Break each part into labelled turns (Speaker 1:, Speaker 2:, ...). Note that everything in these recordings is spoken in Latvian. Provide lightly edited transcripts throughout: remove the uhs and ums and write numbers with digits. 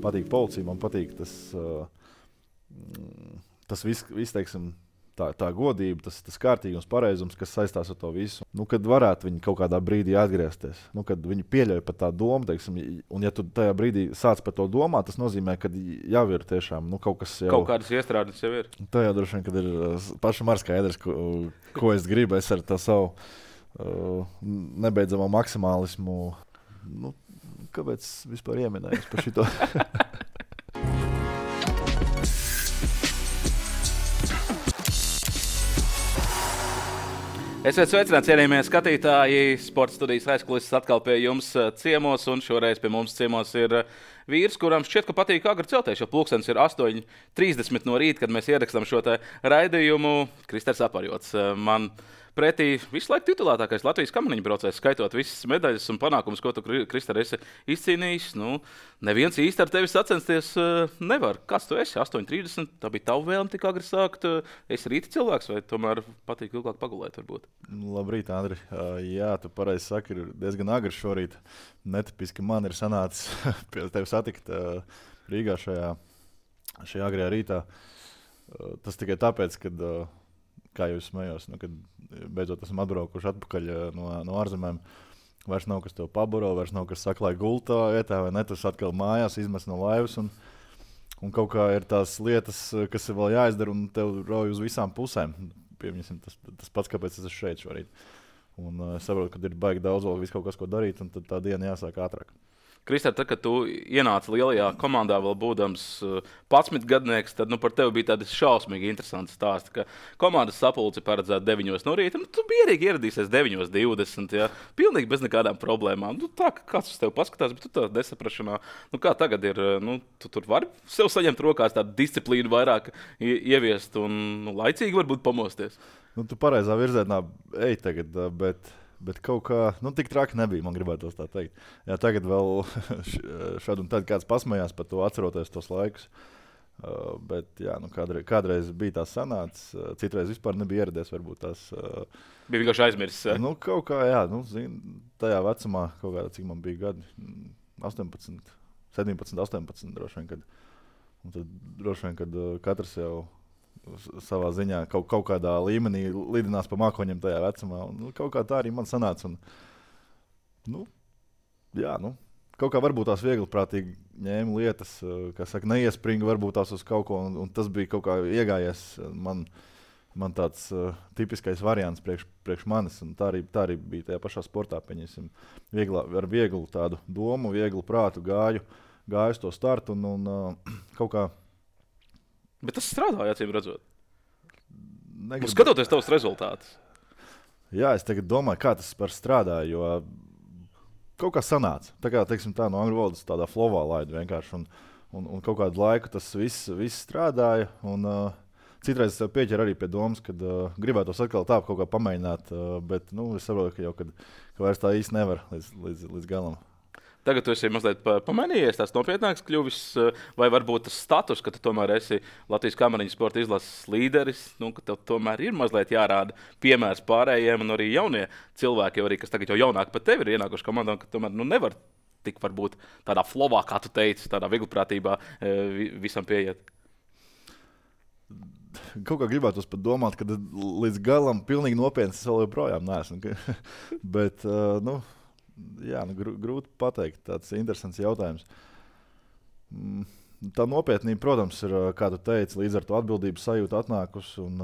Speaker 1: patīk policija, man patīk tas viss, teiksim, tā godība, tas kārtīgums, pareizums, kas saistās ar to visu. Kad varētu viņi kaut kādā brīdī atgriezties, kad viņi pieļauj pat tā domu, teiksim, un ja tu tajā brīdī sāc par to domāt, tas nozīmē, ka jau ir tiešām kaut kas jau...
Speaker 2: Kaut kādas iestrādes jau ir.
Speaker 1: Tajā droši vien, kad ir pašam ar skaidrs, ko es gribu, es ar tā savu nebeidzamo maksimālismu. Kāpēc vispār ieminējos par šito?
Speaker 2: Esiet sveicināti, cienījamie skatītāji. Sporta studijas aizkulises atkal pie jums ciemos, un šoreiz pie mums ciemos ir vīrs, kuram šķiet, ka patīk agri celties, jo pulkstenis ir 8:30 no rīta, kad mēs ierakstām šo raidījumu. Kristers Aparjots. Man pretī visu laiku titulētākais Latvijas kamaniņu braucējs, skaitot visas medaļas un panākumus, ko tu, Krister, esi izcīnījis. Neviens īsti ar tevi sacensties nevar. Kas tu esi? 8:30. Tā bija tava vēlme tik agri sākt. Esi rīta cilvēks vai tomēr patīk ilgāk pagulēt varbūt?
Speaker 1: Labrīt, Andri. Jā, tu pareizi saki, ir diezgan agri šorīt. Netipiski man ir sanācis pie tevi satikt Rīgā šajā agrajā rītā. Tas tikai tāpēc, kad, kā jau es smējos, kad beidzot esam atbraukuši atpakaļ no ārzemēm, vairs nav kas tev paburo, vairs nav kas saklāj gultā vietā, vai ne, tas atkal mājās izmest no laivas, un kaut kā ir tās lietas, kas ir vēl jāizdara, un tev rauj uz visām pusēm. Piemēram, tas pats, kāpēc es esmu šeit šorīt. Un es saprotu, ka ir baigi daudz vēl kaut kas, ko darīt, un tad tā diena jāsāk ātrāk.
Speaker 2: Krister, tad, kad tu ienāci lielajā komandā, vēl būdams 11 gadnieks, tad par tevi bija tādi šausmīgi interesanti stāsti, ka komandas sapulce paredzēta 9 no rīta. Tu mierīgi ieradīsies 9:20, ja, pilnīgi bez nekādām problēmām. Tā, kāds uz tevi paskatās, bet tu tā nesaprašanā. Kā tagad ir, tu tur vari sev saņemt rokās tādu disciplīnu vairāk ieviest un laicīgi varbūt pamosties?
Speaker 1: Tu pareizā virzienā ej tagad, bet kaut kā, tik traki nebija, man gribētos tā teikt. Jā, tagad vēl šad un tad kāds pasmējās par to, atceroties tos laikus. Bet jā, kādreiz bija tās sanācis, citreiz vispār nebija ieradies, varbūt tās...
Speaker 2: Bija vienkārši aizmirsis.
Speaker 1: Kaut kā, jā, tajā vecumā, kaut kādā, cik man bija gadi, 18, 17, 18 droši vien, un tad droši vien, kad katrs jau savā ziņā kaut kādā līmenī lidinās pa mākoņiem tajā vecumā. Kaut kā tā arī man sanāca. Kaut kā varbūt tās viegliprātīgi ņēma lietas, kā saka, neiespringa varbūt tās uz kaut ko, un tas bija kaut kā iegājies man tāds tipiskais variants priekš manis. Un tā arī bija tajā pašā sportā, pieņemsim, ar vieglu tādu domu, vieglu prātu gāju uz to startu un kaut kā.
Speaker 2: Bet tas strādāja, acīm redzot. Skatoties tavus rezultātus.
Speaker 1: Jā, es tagad domāju, kā tas par strādāja, jo kaut kā sanāca. Tā kā, teiksim, tā no angļu valodas tādā flowā laidu vienkārši. Un kaut kādu laiku tas viss strādāja. Un citreiz es pieķeru arī pie domas, kad gribētos atkal tā kaut kā pamēģināt, bet es saprotu, ka vairs tā īsti nevar līdz galam.
Speaker 2: Tagad tu esi mazliet pamainījies, tās nopietnāks kļuvis, vai varbūt tas status, ka tu tomēr esi Latvijas kamaniņu sporta izlases līderis, ka tev tomēr ir mazliet jārāda piemērs pārējiem, un arī jaunie cilvēki, arī, kas tagad jau jaunāki par tevi ir ienākuši komandā, ka tomēr nevar tik varbūt tādā flowā, kā tu teici, tādā viegliprātībā visam pieiet.
Speaker 1: Kaut kā gribētos pat domāt, ka līdz galam pilnīgi nopietni es vēl joprojām neesmu. Bet, jā, grūti pateikt, tāds interesants jautājums. Tā nopietnība, protams, ir, kā tu teici, līdz ar to atbildības sajūtu atnākusi un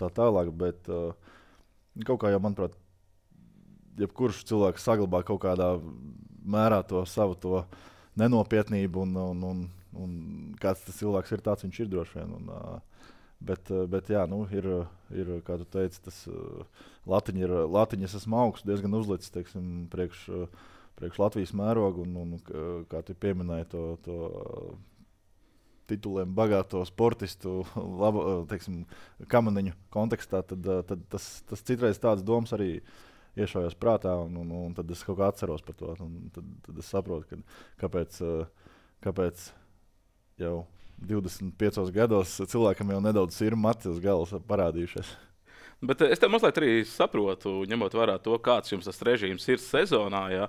Speaker 1: tā tālāk, bet kaut kā jau, manuprāt, jebkurš cilvēks saglabā kaut kādā mērā to savu to nenopietnību un kāds tas cilvēks ir, tāds viņš ir droši vien. Bet jā, ir, kā tu teici, tas latiņas esmu augstu diezgan uzlicis, teiksim, priekš Latvijas mērogu, un kā tu pieminēji to tituliem bagāto sportistu, teiksim, kamaniņu kontekstā, tad tas citreiz tādas domas arī iešaujās prātā, un tad es kaut kā atceros par to, un tad es saprotu, kāpēc jau 25 gados cilvēkam jau nedaudz ir mati uz galvas parādījušies.
Speaker 2: Bet es tev mazliet arī saprotu, ņemot vērā to, kāds jums tas režīms ir sezonā. Ja?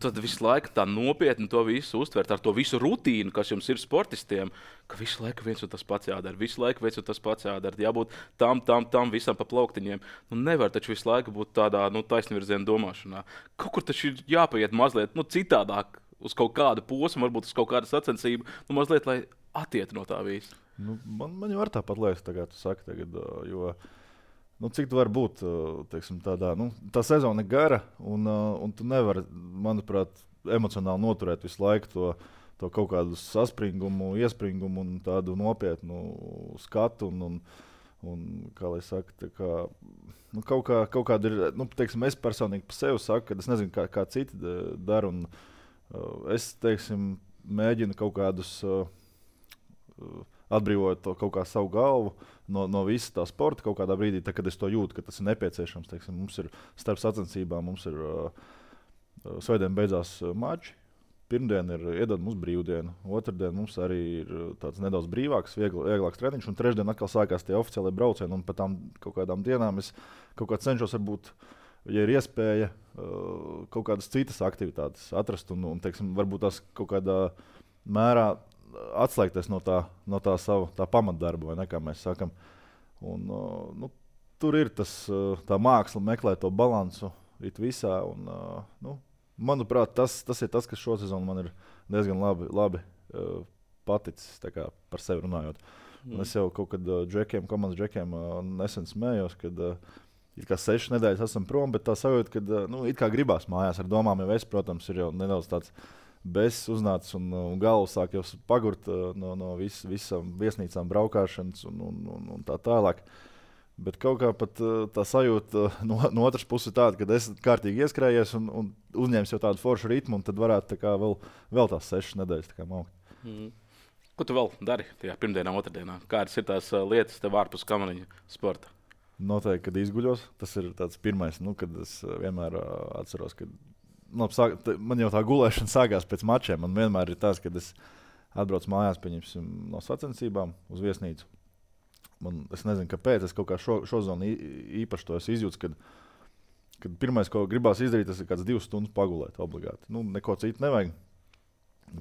Speaker 2: tad visu laiku tā nopietni to visu uztvert, ar to visu rutīnu, kas jums ir sportistiem, ka visu laiku viens un tas pats jādara, visu laiku viens un tas pats jādara, jābūt tam visam pa plauktiņiem. Nevar taču visu laiku būt tādā taisnvirziena domāšanā. Kaut kur taču ir jāpaiet mazliet citādāk uz kaut kādu posmu, varbūt uz kaut kādu sacensību, mazliet, lai attiet no tā visa.
Speaker 1: Man jau var tāpat liekas, tagad, tu saki, jo cik tu vari būt teiksim, tādā, tā sezona ir gara, un tu nevari, manuprāt, emocionāli noturēt visu laiku to kaut kādu saspringumu, iespringumu un tādu nopietnu skatu. Un kā lai saka, kaut kāda ir, teiksim, es personīgi par sevi saku, ka es nezinu, kā citi dara. Es, teiksim, mēģinu kaut kādus atbrīvot to kaut kā savu galvu no visa tā sporta kaut kādā brīdī, kad es to jūtu, ka tas ir nepieciešams. Teiksim, mums ir starp sacensībām, mums ir svētdien beidzās mači, pirmdien ir iedod mums brīvdiena, otrdien mums arī ir tāds nedaudz brīvāks, vieglāks treniņš, un trešdien atkal sākās tie oficiālie braucieni, un pa tām kaut kādām dienām es kaut kā cenšos varbūt, ja ir iespēja, kaut kādas citas aktivitātes atrast un teiksim, varbūt tās kaut kādā mērā atslēgties no tā sava pamatdarba, vai ne, kā mēs sakam. Un, tur ir tā māksla meklēt to balansu it visā. Un, manuprāt, tas ir tas, kas šo sezonu man ir diezgan labi paticis, tā kā par sevi runājot. Un es jau kaut kad komandas džekiem nesen smējos, kad it kā 6 nedēļas esam prom, bet tā sajūta, ka it kā gribās mājās ar domām, jo es, protams, ir jau nedaudz tāds bezs uznācis un galva sāk jau pagurt no visām viesnīcām braukāšanas un tā tālāk. Bet kaut kā pat tā sajūta no otras puses tāda, ka es kārtīgi ieskrējies un uzņēmu jau tādu foršu ritmu, un tad varētu tā kā vēl tās 6 nedēļas tā kā maukt.
Speaker 2: Ko tu vēl dari tajā pirmdienā, otrdienā? Kādas ir tās lietas tev ārpus kamariņa sporta?
Speaker 1: Noteikti, kad izguļos. Tas ir tāds pirmais, kad es vienmēr atceros, ka man jau tā gulēšana sākās pēc mačiem. Man vienmēr ir tas, kad es atbraucu mājās no sacensībām uz viesnīcu. Es nezinu, kāpēc. Es kaut kā šo zonu īpaši to izjūtu, kad pirmais, ko gribās izdarīt, tas ir kāds 2 stundas pagulēt obligāti. Neko citu nevajag.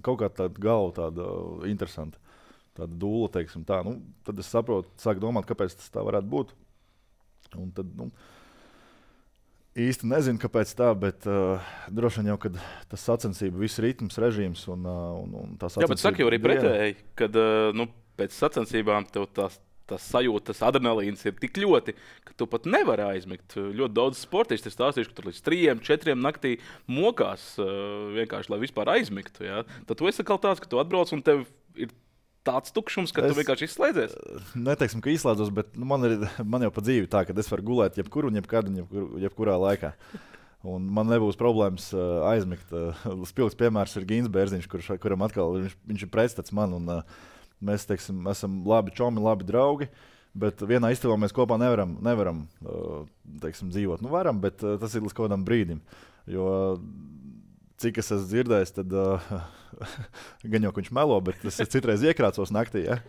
Speaker 1: Kaut kā tāda galva tāda interesanta, tāda dūla, teiksim tā. Tad es saprotu, sāku domāt, kāpēc tas tā varētu būt. Un tad, īsti nezinu, kāpēc tā, bet droši vien jau, kad tas sacensību, viss ritms, režīms un tā sacensība.
Speaker 2: Jā, bet saka jau arī pretēji, kad pēc sacensībām tev tās sajūta, tas adrenalīns ir tik ļoti, ka tu pat nevari aizmigt. Ļoti daudz sportisti ir stāstījuši, ka tur līdz 3-4 naktī mokās vienkārši, lai vispār aizmigtu. Ja? Tad tu esi tāds, ka tu atbrauc un tev ir tāds tukšums, ka tu vienkārši izslēdzies.
Speaker 1: Neteiksim, ka izslēdzos, bet man jau pa dzīvi tā, ka es varu gulēt jebkur un jebkurā laikā. Un man nebūs problēmas aizmigt. Spilgts piemērs ir Gins Bērziņš, kuram atkal viņš ir pretstats man. Un, mēs esam labi čomi, labi draugi, bet vienā istabā mēs kopā nevaram dzīvot. Varam, bet tas ir līdz kaut kādam brīdim. Jo cik es esmu dzirdējis, tad gan jau viņš melo, bet es citreiz iekrācos naktī. Ja?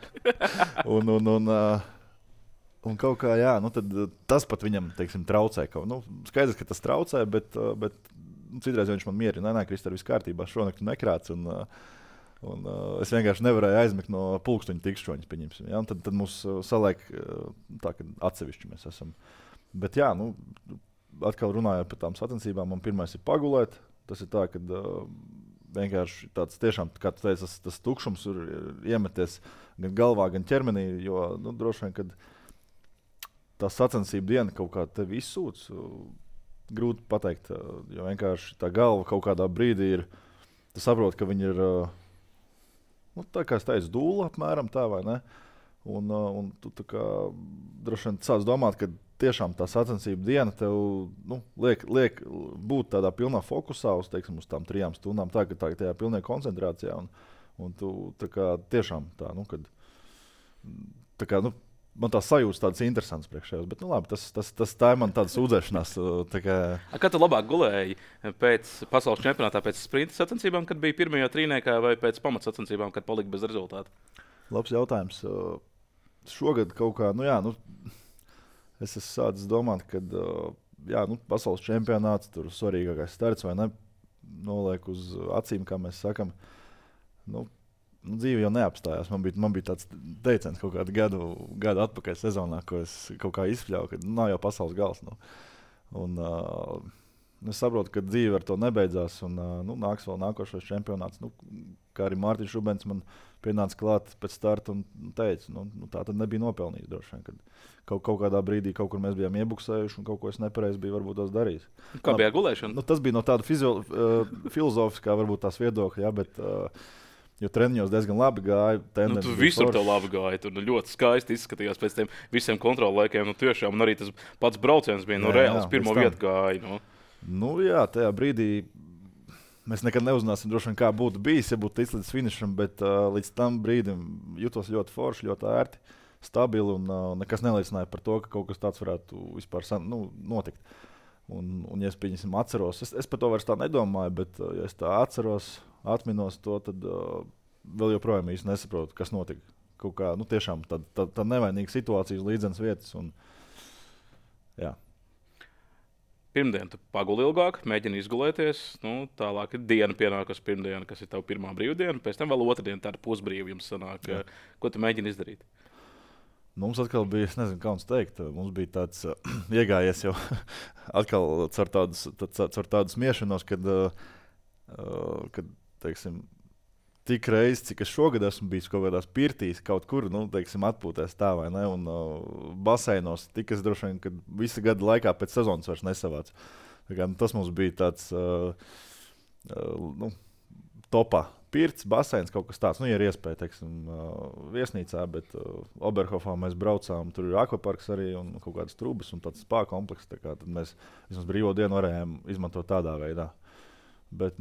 Speaker 1: Un kaut kā, jā, tad tas pat viņam traucē. Skaidrs, ka tas traucē, bet citreiz viņš man mierina. Nē, Kristēr, viss kārtībā, šonakt tu nekrāc. Un es vienkārši nevarēju aizmigt no pulksteņa tikšķoņas, pieņemsim. Ja? Tad mūs saliek tā, ka atsevišķi mēs esam. Bet jā, atkal runājot par tām sacensībām, man pirmais ir pagulēt. Tas ir tā, ka vienkārši tāds tiešām, kā tu teici, tas tukšums ir iemeties gan galvā, gan ķermenī, jo droši vien, kad tā sacensība diena kaut kā tevi izsūc, grūti pateikt, jo vienkārši tā galva kaut kādā brīdī ir, tu saproti, ka viņi ir tā kā es teicu, dūla apmēram tā, vai ne? Un tu tā kā droši vien sāc domāt, ka tiešām tā sacensība diena tev liek būt tādā pilnā fokusā uz tām 3 stundām, tā ka tajā pilnā koncentrācijā. Un tu tā kā tiešām tā, kad tā kā, man tās sajūtas tādas interesantas priekšējos, bet labi, tā ir man tāda sūdzēšanās.
Speaker 2: Kā tu labāk gulēji pēc pasaules čempionātā, pēc sprinta sacensībām, kad bija pirmajā trīniekā, vai pēc pamatsacensībām, kad palika bez rezultātu?
Speaker 1: Labs jautājums. Šogad kaut kā, es esmu sācis domāt, ka pasaules čempionāts, tur svarīgākais starts vai ne, noliek uz acīm, kā mēs sakam. Dzīve jau neapstājās. Man bija tāds teiciens kaut kādu gadu atpakaļ sezonā, ko es kaut kā izpļauju, ka nav jau pasaules gals. Un es saprotu, ka dzīve ar to nebeidzās. Un, nāks vēl nākošais čempionāts. Kā arī Mārtiņš Rubens man pienāca klāt pēc starta un teica, tā tad nebija nopelnīts droši vien. Kaut kādā brīdī kaut kur mēs bijām iebuksējuši un kaut ko es nepareizi biju varbūt tās darījis.
Speaker 2: Kā bija gulēšana?
Speaker 1: Tas bija no tāda filozofiskā varbūt tās viedokļa, bet... Jo treniņos diezgan labi gāja.
Speaker 2: Tu visur tev labi gāja. Tur ļoti skaisti izskatījās pēc tiem visiem kontrollēkiem. Tiešām, un arī tas pats brauciens bija reāls. Pirmo vietu gāja.
Speaker 1: Jā, tajā brīdī mēs nekad neuzzināsim, droši vien, kā būtu bijis, ja būtu ticis līdz finišam, bet līdz tam brīdim jutos ļoti forši, ļoti ērti, stabili un nekas neliecināja par to, ka kaut kas tāds varētu vispār notikt. Un ja es atceros, es par to vairs tā nedomāju, bet ja es tā atminos to, tad vēl joprojām īsti nesaprotu, kas notika. Kaut kā, tiešām tā nevainīga situācija uz līdzenas vietas. Jā.
Speaker 2: Pirmdien tu paguli ilgāk, mēģini izgulēties. Tālāk ir diena pienākas pirmdiena, kas ir tava pirmā brīvdiena. Pēc tam vēl otrdiena tāda pusbrīva jums sanāk. Jā. Ko tu mēģini izdarīt?
Speaker 1: Mums atkal bija, es nezinu, kā mums teikt, mums bija tāds iegājies jau atkal caur tādu smiešanos, kad teiksim, tik reizi, cik es šogad esmu bijis kaut kādās pirtīs, kaut kur, teiksim, atpūtēs tā vai ne, un baseinos, tik es droši vien, kad visa gada laikā pēc sezonas vairs nesavāc. Tas mums bija tāds topā. Pirts, baseins, kaut kas tāds. Ja ir iespēja, teiksim, viesnīcā, bet Oberhofā mēs braucām, tur ir akvaparks arī un kaut kādas trūbas un tāds spā komplekss. Tad mēs vismaz brīvo dienu varējām izmantot tādā veidā. Bet,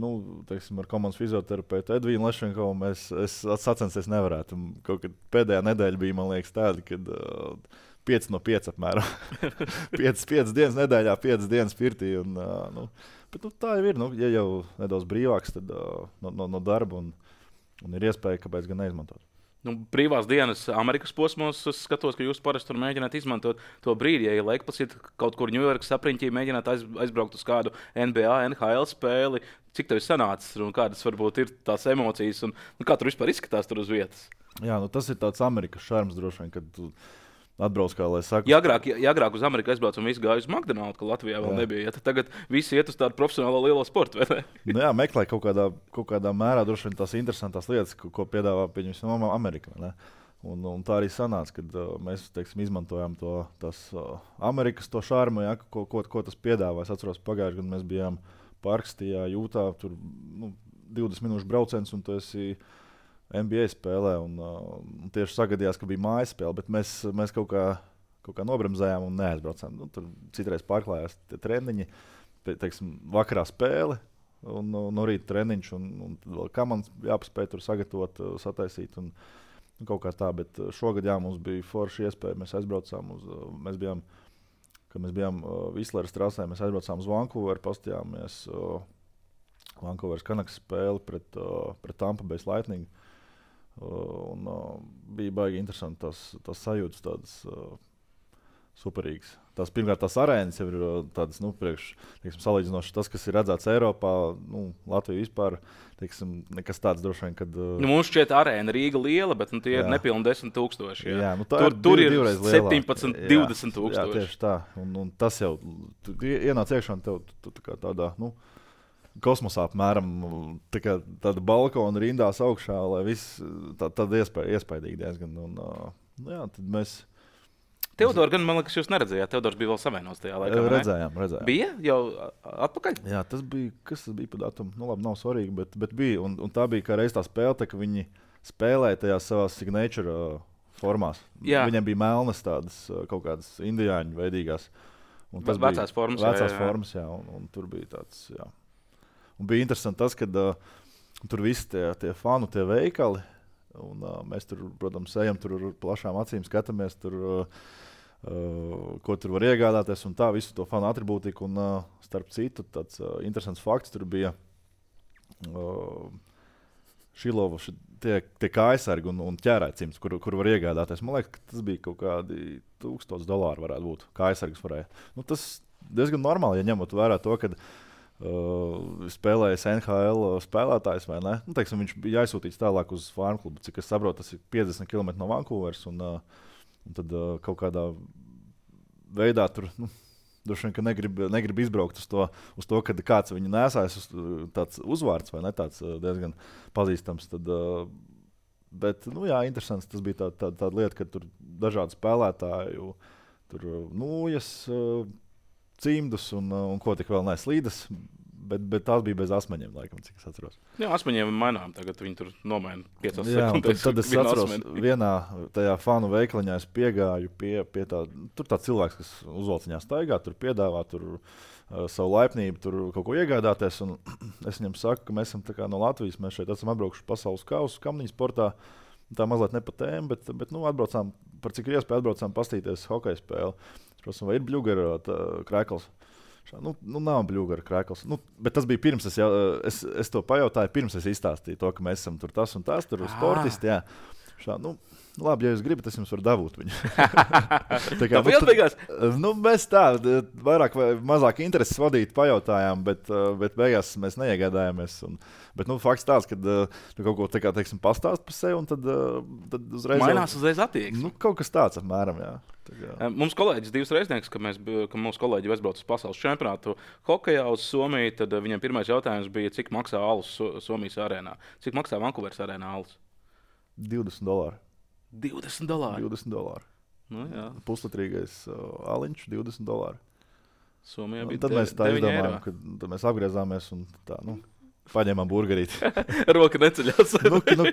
Speaker 1: teiksim, ar komandas fizioterapeitu Edvīnu Lešenkovu es sacensties nevarētu. Kaut kad pēdējā nedēļa bija, man liekas, tāda, kad 5 no 5 apmēram. 5 dienas nedēļā, 5 dienas pirtī. Bet tā jau ir. Ja jau nedaudz brīvāks tad, no darba un ir iespēja, kāpēc gan neizmantot.
Speaker 2: Brīvās dienas Amerikas posmos es skatos, ka jūs parasti tur mēģināt izmantot to brīdi. Ja laikpasit kaut kur Ņujorkas apriņķī, mēģināt aizbraukt uz kādu NBA, NHL spēli. Cik tev ir sanācis un kādas varbūt ir tās emocijas un kā tur vispār izskatās tur uz vietas? Jā,
Speaker 1: tas ir tāds Amerikas šarms droši vien, kad tu atbrauc, kā lai saka.
Speaker 2: Ja agrāk uz Ameriku aizbraucu un visi gāja uz McDonald's, ka Latvijā vēl nebija. Tad tagad visi iet uz tādu profesionālo lielo sportu, vai ne?
Speaker 1: Jā, meklē kaut kādā mērā droši vien tās interesantās lietas, ko piedāvā pieņemsim Amerika. Un tā arī sanāca, kad mēs, teiksim, izmantojām tas Amerikas to šarmu, ja, ko tas piedāvā. Es atceros, pagājušajā gadā mēs bijām Parkstijā, Jūtā, tur 20 minūšu brauciens, un tu esi NBA spēlē, un tieši sagadījās, ka bija mājas spēle, bet mēs kaut kā nobremzējām un neaizbraucām. Tur citreiz pārklājās tie treniņi, teiksim, vakarā spēle, un no rīta treniņš, un vēl kā man jāpaspēj tur sagatavot, sataisīt, un kaut kā tā, bet šogad, jā, mums bija forša iespēja, mēs aizbraucām kad mēs bijām Visleras trasē, mēs aizbraucām uz Vancouveru, pastījāmies Vancouveras Canucks spēli pret Tampa Bay Lightning. Bija baigi interesanti tās sajūtas, tādas superīgas. Pirmkārt, tās arēnas jau ir tādas, salīdzinoši tas, kas ir redzēts Eiropā, Latvija vispār, nekas tāds droši vien, kad...
Speaker 2: Mums šķiet arēna Rīga liela, bet tie ir nepilni 10,000.
Speaker 1: Jā,
Speaker 2: tur ir 17, 20,000.
Speaker 1: Jā, tieši tā. Un tas jau, tu ienāc iekšā un tev kā tādā, kosmosā apmēram tāda balkona rindās augšā, lai viss tāda iespaidīgi diezgan. Jā, tad mēs...
Speaker 2: Teodor, gan man liekas, jūs neredzējāt. Teodors bija vēl savienots tajā laikā.
Speaker 1: Redzējām.
Speaker 2: Bija jau atpakaļ?
Speaker 1: Jā, kas tas bija pa datumu? Labi, nav svarīgi, bet bija. Un tā bija kā reiz tā spēle, ka viņi spēlēja tajās savās signature formās.
Speaker 2: Jā.
Speaker 1: Viņiem bija melnas tādas kaut kādas indiāņu veidīgās.
Speaker 2: Vecās formas.
Speaker 1: Vecās formas, jā. Un tur bija tāds, jā. Un bija interesanti tas, ka tur visi tie fanu, tie veikali, un mēs tur, protams, ejam tur ar plašām acīm, skatāmies tur, ko tur var iegādāties, un tā visu to fanu atribūtiku. Un starp citu, tāds interesants fakts tur bija Šilova, tie kājsargi un ķērēcimts, kur var iegādāties. Man liekas, ka tas bija kaut kādi $1000 varētu būt. Kājsargs varēja. Tas diezgan normāli, ja ņemot vērā to, ka spēlējis NHL spēlētājs vai ne. Nu, teiksim, viņš bija aizsūtīts tālāk uz farmu klubu. Cik es saprotu, tas ir 50 km no Vancouveras. Un tad kaut kādā veidā tur droši vien negrib izbraukt uz to, kad kāds viņu nesājas tāds uzvārds vai ne tāds diezgan pazīstams. Tad, bet, jā, interesants. Tas bija tāda lieta, ka tur dažādi spēlētāji, tur nūjas, cimdus un ko tik vēl neslīdas, bet tās bija bez asmeņiem, laikam, cik es atceros.
Speaker 2: Jā, asmeņiem mainām, tagad viņi tur nomaina 5
Speaker 1: sekundes. Tad es atceros, vienā tajā fanu veikaliņā es piegāju pie tā, tur tāds cilvēks, kas uzvalciņā staigā, tur piedāvā savu laipnību, tur kaut ko iegādāties, un es viņam saku, ka mēs esam tā kā no Latvijas, mēs šeit esam atbraukuši pasaules kausu kamniņu sportā, tā mazliet ne pa tēmu, bet atbraucām, par cik ir iespēja atbraucām pastīties hokeja spēli. Protams, vai ir bļugara krēkls? Nav bļugara krēkls. Bet tas bija pirms es to pajautāju, pirms es izstāstīju to, ka mēs esam tur tas un tas, tur sportisti. Jā. Labi, ja jūs gribat, es jums varu dabūt viņu. Tā kā
Speaker 2: beigās?
Speaker 1: Mēs tā, vairāk vai mazāk intereses vadīt pajautājām, bet beigās mēs neiegādājāmies. Bet fakts tāds, ka tu kaut ko tā kā, teiksim, pastāst par sevi, un tad uzreiz...
Speaker 2: Mainās uzreiz attieksme.
Speaker 1: Kaut kas tāds apmēram, jā.
Speaker 2: Mums kolēģis divas reiznieks, ka mūsu kolēģi aizbrauc uz pasaules čempionātu hokejā uz Somiju, tad viņam pirmais jautājums bija, cik maksā alus Somijas arēnā. Cik maksā Vancouveras arēnā alus?
Speaker 1: $20.
Speaker 2: $20?
Speaker 1: $20. Puslitrīgais aliņš $20.
Speaker 2: Somijā bija
Speaker 1: tad mēs tā izdomājām, kad mēs apgriezāmies un tā, paņēmām burgerīti.
Speaker 2: Roka neceļās.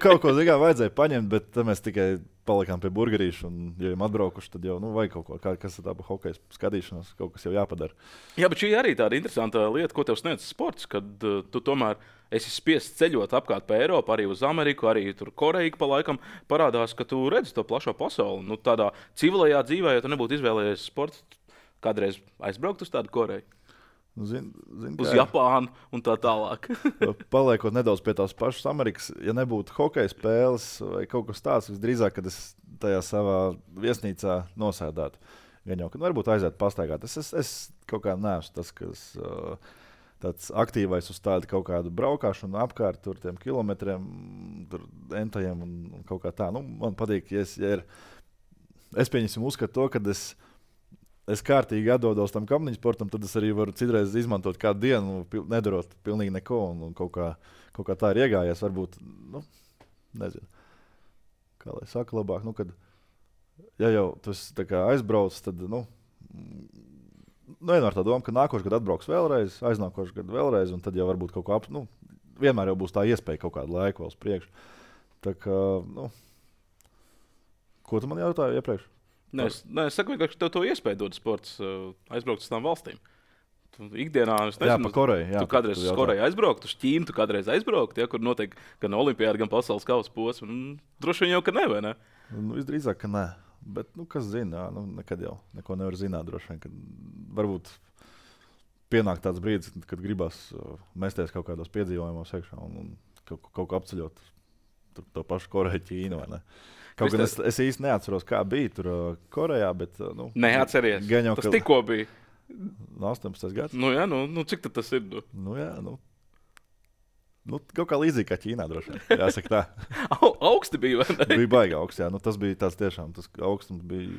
Speaker 1: Kaut ko vajadzēja paņemt, bet tad mēs tikai palikām pie burgerīšu. Un, ja jau atbraukuši, tad jau vajag kaut ko, kas ir tā pa hokeja skatīšanās, kaut kas jau jāpadara.
Speaker 2: Jā, bet šī arī tāda interesanta lieta, ko tev sniedz sports, kad tu tomēr esi spiests ceļot apkārt pa Eiropu, arī uz Ameriku, arī tur Koreju pa laikam parādās, ka tu redzi to plašo pasauli. Tādā civilajā dzīvē, ja tu nebūtu izvēlējies sports, kādreiz aizbraukt uz tādu Koreju? Uz Japānu un tā tālāk.
Speaker 1: Paliekot nedaudz pie tās pašas Amerikas, ja nebūtu hokeja spēles vai kaut kas tāds, visdrīzāk, kad es tajā savā viesnīcā nosēdētu. Gan jau, kad varbūt aiziet pastaigāt. Es kaut kā neesmu tas, kas tāds aktīvais uz tādu kaut kādu braukāšanu apkārt tur tiem kilometriem, tur entajiem un kaut kā tā. Man patīk, ja es pieņemsim uzskatu to, kad es kārtīgi atdodos tam kamniņu sportam, tad es arī varu citreiz izmantot kādu dienu, nedarot pilnīgi neko, un kaut kā tā ir iegājies. Varbūt, nezinu, kā lai saka labāk, kad, ja jau tas tā kā aizbrauc, tad, vienmēr tā doma, ka nākošais gadu atbrauks vēlreiz, aiznākošais gadu vēlreiz, un tad jau varbūt kaut kā, vienmēr jau būs tā iespēja kaut kādu laiku vēl uz priekšu. Tā kā, ko tu man jautāji iepriekš?
Speaker 2: Es saku, ka tev to iespēju dod sports aizbraukt uz tām valstīm. Tu ikdienā, es nezinu,
Speaker 1: jā, pa Koreju. Jā,
Speaker 2: tu kādreiz uz Koreju aizbraukt, uz Ķīnu tu kādreiz aizbraukt, kur notiek gan olimpiāda, gan pasaules kausa posms. Droši vien jau, ka ne, vai ne?
Speaker 1: Visdrīzāk, ka ne. Bet, kas zina, nekad jau neko nevar zināt droši vien. Varbūt pienāk tāds brīdis, kad gribas mesties kaut kādos piedzīvojumos iekšā un kaut ko apceļot to pašu Koreju, Ķīnu, vai ne? Kaut gan es īsti neatceros, kā bija tur Korejā, bet...
Speaker 2: Neatceries. Tas tikko bija.
Speaker 1: 18. gads.
Speaker 2: Jā, cik tad tas ir?
Speaker 1: Kaut kā līdzīgi kā Ķīnā droši vien, jāsaka tā.
Speaker 2: Augsti bija, vai ne?
Speaker 1: Bija baigi augsts, jā. Tas bija tāds tiešām, tas augstums bija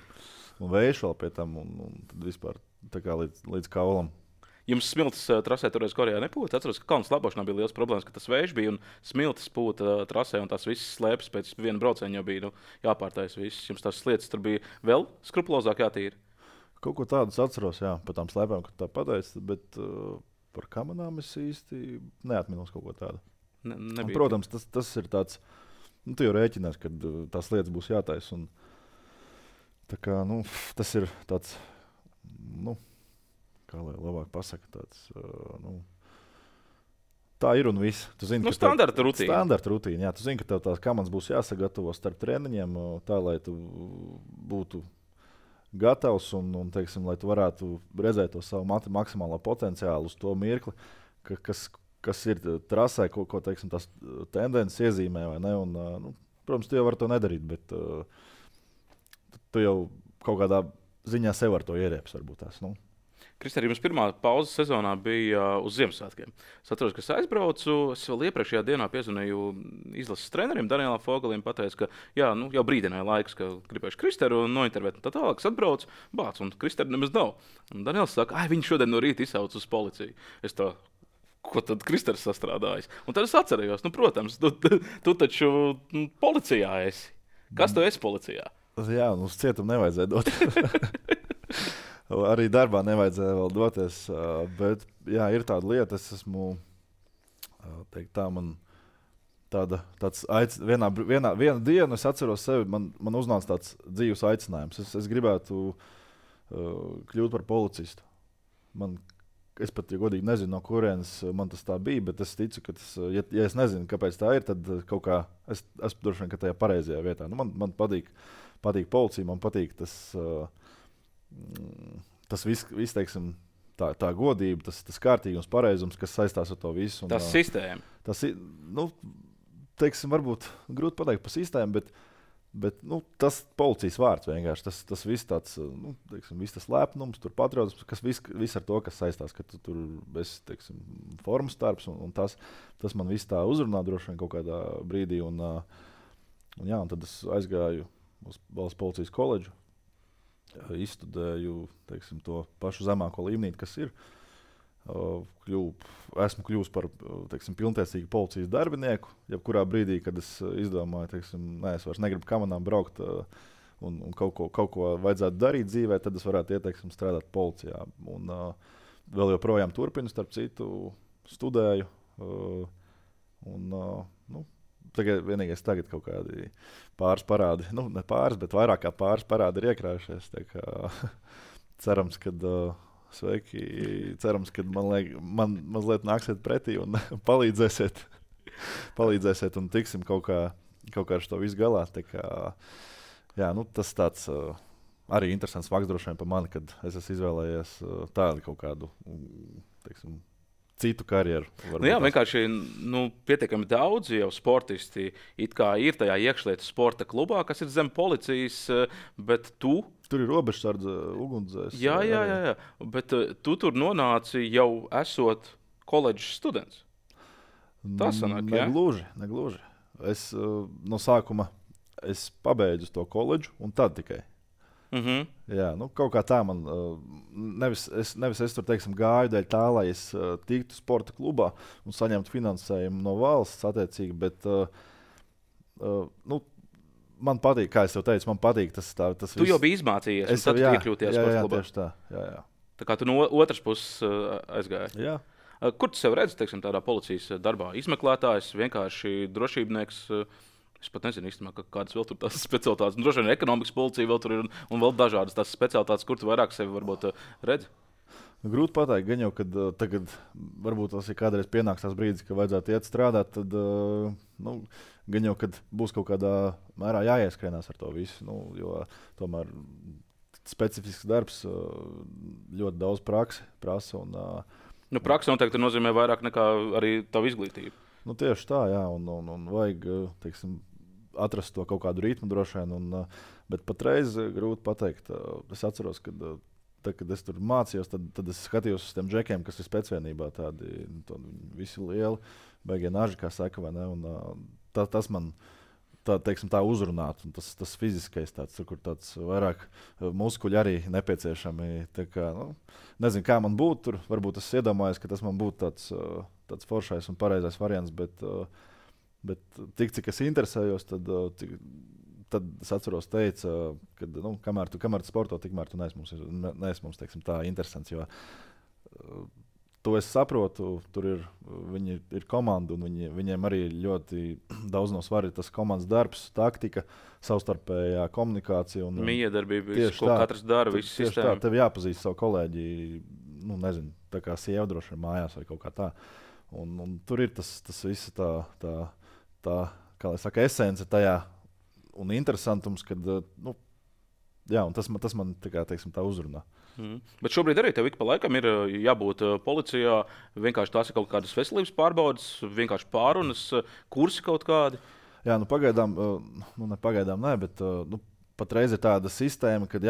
Speaker 1: un vējš vēl pie tam un tad vispār tā kā līdz kaulam.
Speaker 2: Jums smiltis trasē toreiz Korejā nepūta? Atceros, ka kalnu slēpošanā bija liels problēmas, ka tas vējš bija un smiltis pūta trasē un tās visas slēpes pēc viena brauciena jau bija jāpārtais viss. Jums tās slietas tur bija vēl skrupulozāk jātīra?
Speaker 1: Kaut ko tādu atceros, jā, par tām slēpēm, ka tā pateica, bet par kamanām es īsti neatminos kaut ko tādu. Protams, tas ir tāds, tu jau rēķinies, kad tās lietas būs jātaisa. Un, tā kā, tas ir tāds, kā lai labāk pasaka, tāds, tā ir un viss.
Speaker 2: Standarta rutīna.
Speaker 1: Standarta rutīna, jā. Tu zini, ka tev tās kamanas būs jāsagatavo starp treniņiem, tā, lai tu būtu gatavs un teiksim, lai tu varētu redzēt to savu maksimālo potenciālu uz to mirkli, kas ir trasē, ko teiksim, tās tendences iezīmē, vai ne? Un, protams, tu jau vari to nedarīt, bet tu jau kaut kādā ziņā sev ar to ierēps varbūt tās,
Speaker 2: Kristēn, jums pirmā pauzes sezonā bija uz Ziemassvētkiem. Es atceros, ka es aizbraucu. Es vēl iepriekšējā dienā piezvanīju izlases trenerim Danielam Fogalim. Pateicu, ka jā, jau brīdināja laiks, ka gribēšu Kristēru nointervēt. Tā tālāk es atbraucu, bāc, un Kristēra nemaz nav. Un Daniels saka, viņš šodien no rīta izsauc uz policiju. Es tā, ko tad Kristērs sastrādājis? Un tad es atcerējos, protams, tu taču policijā esi. Kas tu esi policijā?
Speaker 1: Jā, uz cietumu nevajadzēja dot. Arī darbā nevajadzēja vēl doties, bet jā, ir tāda lieta, es esmu, teikt tā, man tāds viena diena es atceros sevi, man uznāca tāds dzīves aicinājums. Es gribētu kļūt par policistu. Es pat, ja godīgi nezinu, no kurienes man tas tā bija, bet es ticu, ka tas, ja es nezinu, kāpēc tā ir, tad kaut kā es droši vien, ka tajā pareizajā vietā. Man patīk policija, man patīk tas viss, teiksim, tā godība, tas kārtīgums, pareizums, kas saistās ar to visu.
Speaker 2: Tas sistēma.
Speaker 1: Tas ir, teiksim, varbūt grūti pateikt par sistēmu, bet tas policijas vārds vienkārši, tas viss tāds, teiksim, viss tas lepnums, tur patriotisms, kas viss ar to, kas saistās, ka tu tur esi, teiksim, formas darbs, un tas man viss tā uzrunā droši vien kaut kādā brīdī, un tad es aizgāju uz Valsts policijas koledžu, izstudēju, teiksim, to pašu zemāko līmenī, kas ir. Esmu kļuvis par, teiksim, pilntiesīgu policijas darbinieku. Jebkurā brīdī, kad es izdomāju, teiksim, es vairs negribu kamanām braukt un kaut ko vajadzētu darīt dzīvē, tad es varētu ieteikt strādāt policijā. Un vēl joprojām turpinu, starp citu, studēju. Vienīgais tagad kaut kādi pāris parādi, ne pāris, bet vairāk kā pāris parādi ir iekrājušies. Cerams, ka cerams, ka man mazliet nāksiet pretī un palīdzēsiet un tiksim kaut kā ar to visu galā. Tas tāds arī interesants fakts droši vien par mani, kad es esmu izvēlējies tādu kaut kādu, teiksim, citu karjeru.
Speaker 2: Vienkārši pietiekami daudz jau sportisti it kā ir tajā iekšlietu sporta klubā, kas ir zem policijas, bet tu.
Speaker 1: Tur ir robežsardze, ugunsdzēs.
Speaker 2: Jā, bet tu tur nonāci jau esot koledžas students. Tas sanāk,
Speaker 1: Negluži. Es no sākuma pabeidzu to koledžu un tad tikai. Jā, kaut kā tā man nevis es tur, teiksim, gāju dēļ tā, lai es tiktu sporta klubā un saņemtu finansējumu no valsts attiecīgi, bet man patīk, kā es jau teicu, man patīk tas viss.
Speaker 2: Tu jau biji izmācījies, un tad tu iekļūties sporta klubā.
Speaker 1: Tieši tā, jā.
Speaker 2: Tā kā tu no otras puses aizgāji.
Speaker 1: Jā.
Speaker 2: Kur tu sev redzi, teiksim, tādā policijas darbā? Izmeklētājs, vienkārši drošībnieks. Es pat nezinu īstenībā, kādas vēl tur tās specialitātes. Droši vien ekonomikas policija vēl tur ir un vēl dažādas tās specialitātes, kur tu vairāk sevi varbūt redzi.
Speaker 1: Grūti pateikt, gan jau, kad tagad varbūt tas ir kādreiz pienāks tās brīdis, ka vajadzētu iet strādāt, tad gan jau, kad būs kaut kādā mērā jāieskrienās ar to visu, jo tomēr specifisks darbs ļoti daudz praksi prasa.
Speaker 2: Praksa noteikti nozīmē vairāk nekā arī tavu izglītību.
Speaker 1: Tieši tā, jā, un vajag, teiksim, atrast to kaut kādu ritmu droši vien, bet patreiz grūti pateikt. Es atceros, kad es tur mācījos, tad es skatījos uz tiem džekiem, kas ir specvienībā, tādi visi lieli, beigie naži, kā saka, vai ne, un tas man tā uzrunāt, un tas fiziskais tāds, kur tāds vairāk muskuļi arī nepieciešami. Nezinu, kā man būtu tur, varbūt es iedomājos, ka tas man būtu tāds foršais un pareizais variants, bet tik, cik es interesējos, tad es atceros teica, ka kamēr tu sporto, tikmēr tu neesi mums, teiksim, tā interesants, jo to es saprotu, viņi ir komanda, un viņiem arī ļoti daudz no svara ir tas komandas darbs, taktika, savstarpējā komunikācija.
Speaker 2: Miedarbība, ko katrs dara, visu sistēmu.
Speaker 1: Tieši tā, tev jāpazīst savu kolēģi, nezinu, tā kā sieva droši vien mājās vai kaut kā tā. Un tur ir tas viss tā, kā lai saka, esence tajā un interesantums, kad, un tas man teiksim, tā uzrunā.
Speaker 2: Bet šobrīd arī tev ik pa laikam ir jābūt policijā. Vienkārši tās ir kaut kādas veselības pārbaudes, vienkārši pārunas, kursi kaut kādi.
Speaker 1: Jā, pagaidām, bet patreiz ir tāda sistēma, kad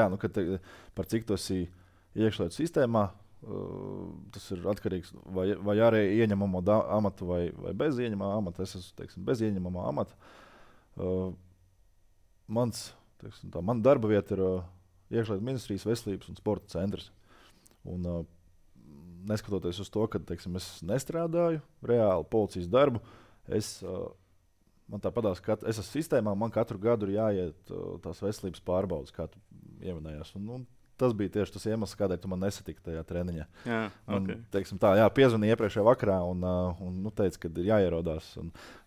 Speaker 1: par cik tu esi iekšlietu sistēmā, Tas ir atkarīgs vai arī ieņemamo amatu vai bez ieņemamā amata. Es esmu, teiksim, bez ieņemamā amata. Mana darba vieta ir Iekšlietu ministrijas veselības un sporta centrs. Un, neskatoties uz to, ka teiksim, es nestrādāju reāli policijas darbu, man tā padās, ka es esmu sistēmā, man katru gadu ir jāiet tās veselības pārbaudes, kā tu ieminējās. Un tas bija tieši tas iemesls, kādēļ tu man nesatiki tajā treniņā.
Speaker 2: Jā,
Speaker 1: Man,
Speaker 2: okay.
Speaker 1: teiksim, piezvanīja iepriekšējā vakarā un teica, ka ir jāierodās.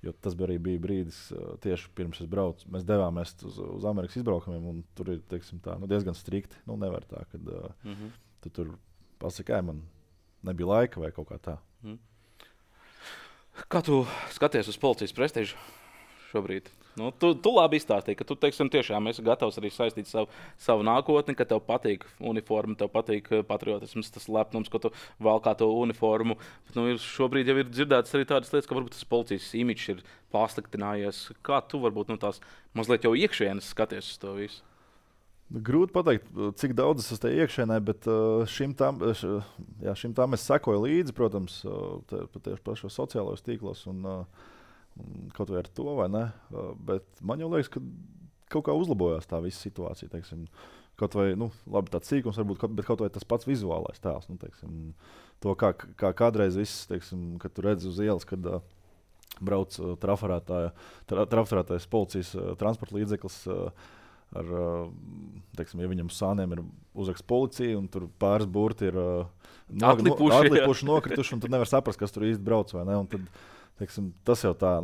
Speaker 1: Jo tas bija brīdis, tieši pirms es braucu. Mēs devāmies uz Amerikas izbraukumiem, un tur ir teiksim, diezgan strikti. Nevar tā, ka tu tur pasaki, man nebija laika vai kaut kā tā.
Speaker 2: Kā tu skaties uz policijas prestižu šobrīd? Tu labi izstāstīji, ka tu teiksim, tiešām esi gatavs arī saistīt savu nākotni, ka tev patīk uniforma, tev patīk patriotisms, tas lepnums, ko tu valkā to uniformu. Bet, šobrīd jau ir dzirdētas arī tādas lietas, ka varbūt tas policijas imidžs ir pasliktinājies. Kā tu varbūt tās mazliet jau iekšienes skaties uz to visu?
Speaker 1: Grūti pateikt, cik daudz es esmu iekšēnē, bet šim tam es sekoju līdzi, protams, tieši pašos sociālajos tīklos un kaut vai ar to, vai ne. Bet man jau liekas, ka kaut kā uzlabojās tā visa situācija. Teiksim, kaut vai labi, tāds sīkums, varbūt, bet kaut vai tas pats vizuālais tēls. Teiksim, to, kā kādreiz viss, teiksim, kad tu redzi uz ielas, kad brauc trafarētais policijas transporta līdzeklis. Teiksim, ja viņam uz sāniem ir uzraksts policija, un tur pāris burti ir atlipuši, nokrituši, un tad nevar saprast, kas tur īsti brauc. Vai ne? Un tad, teiksim, tas jau tā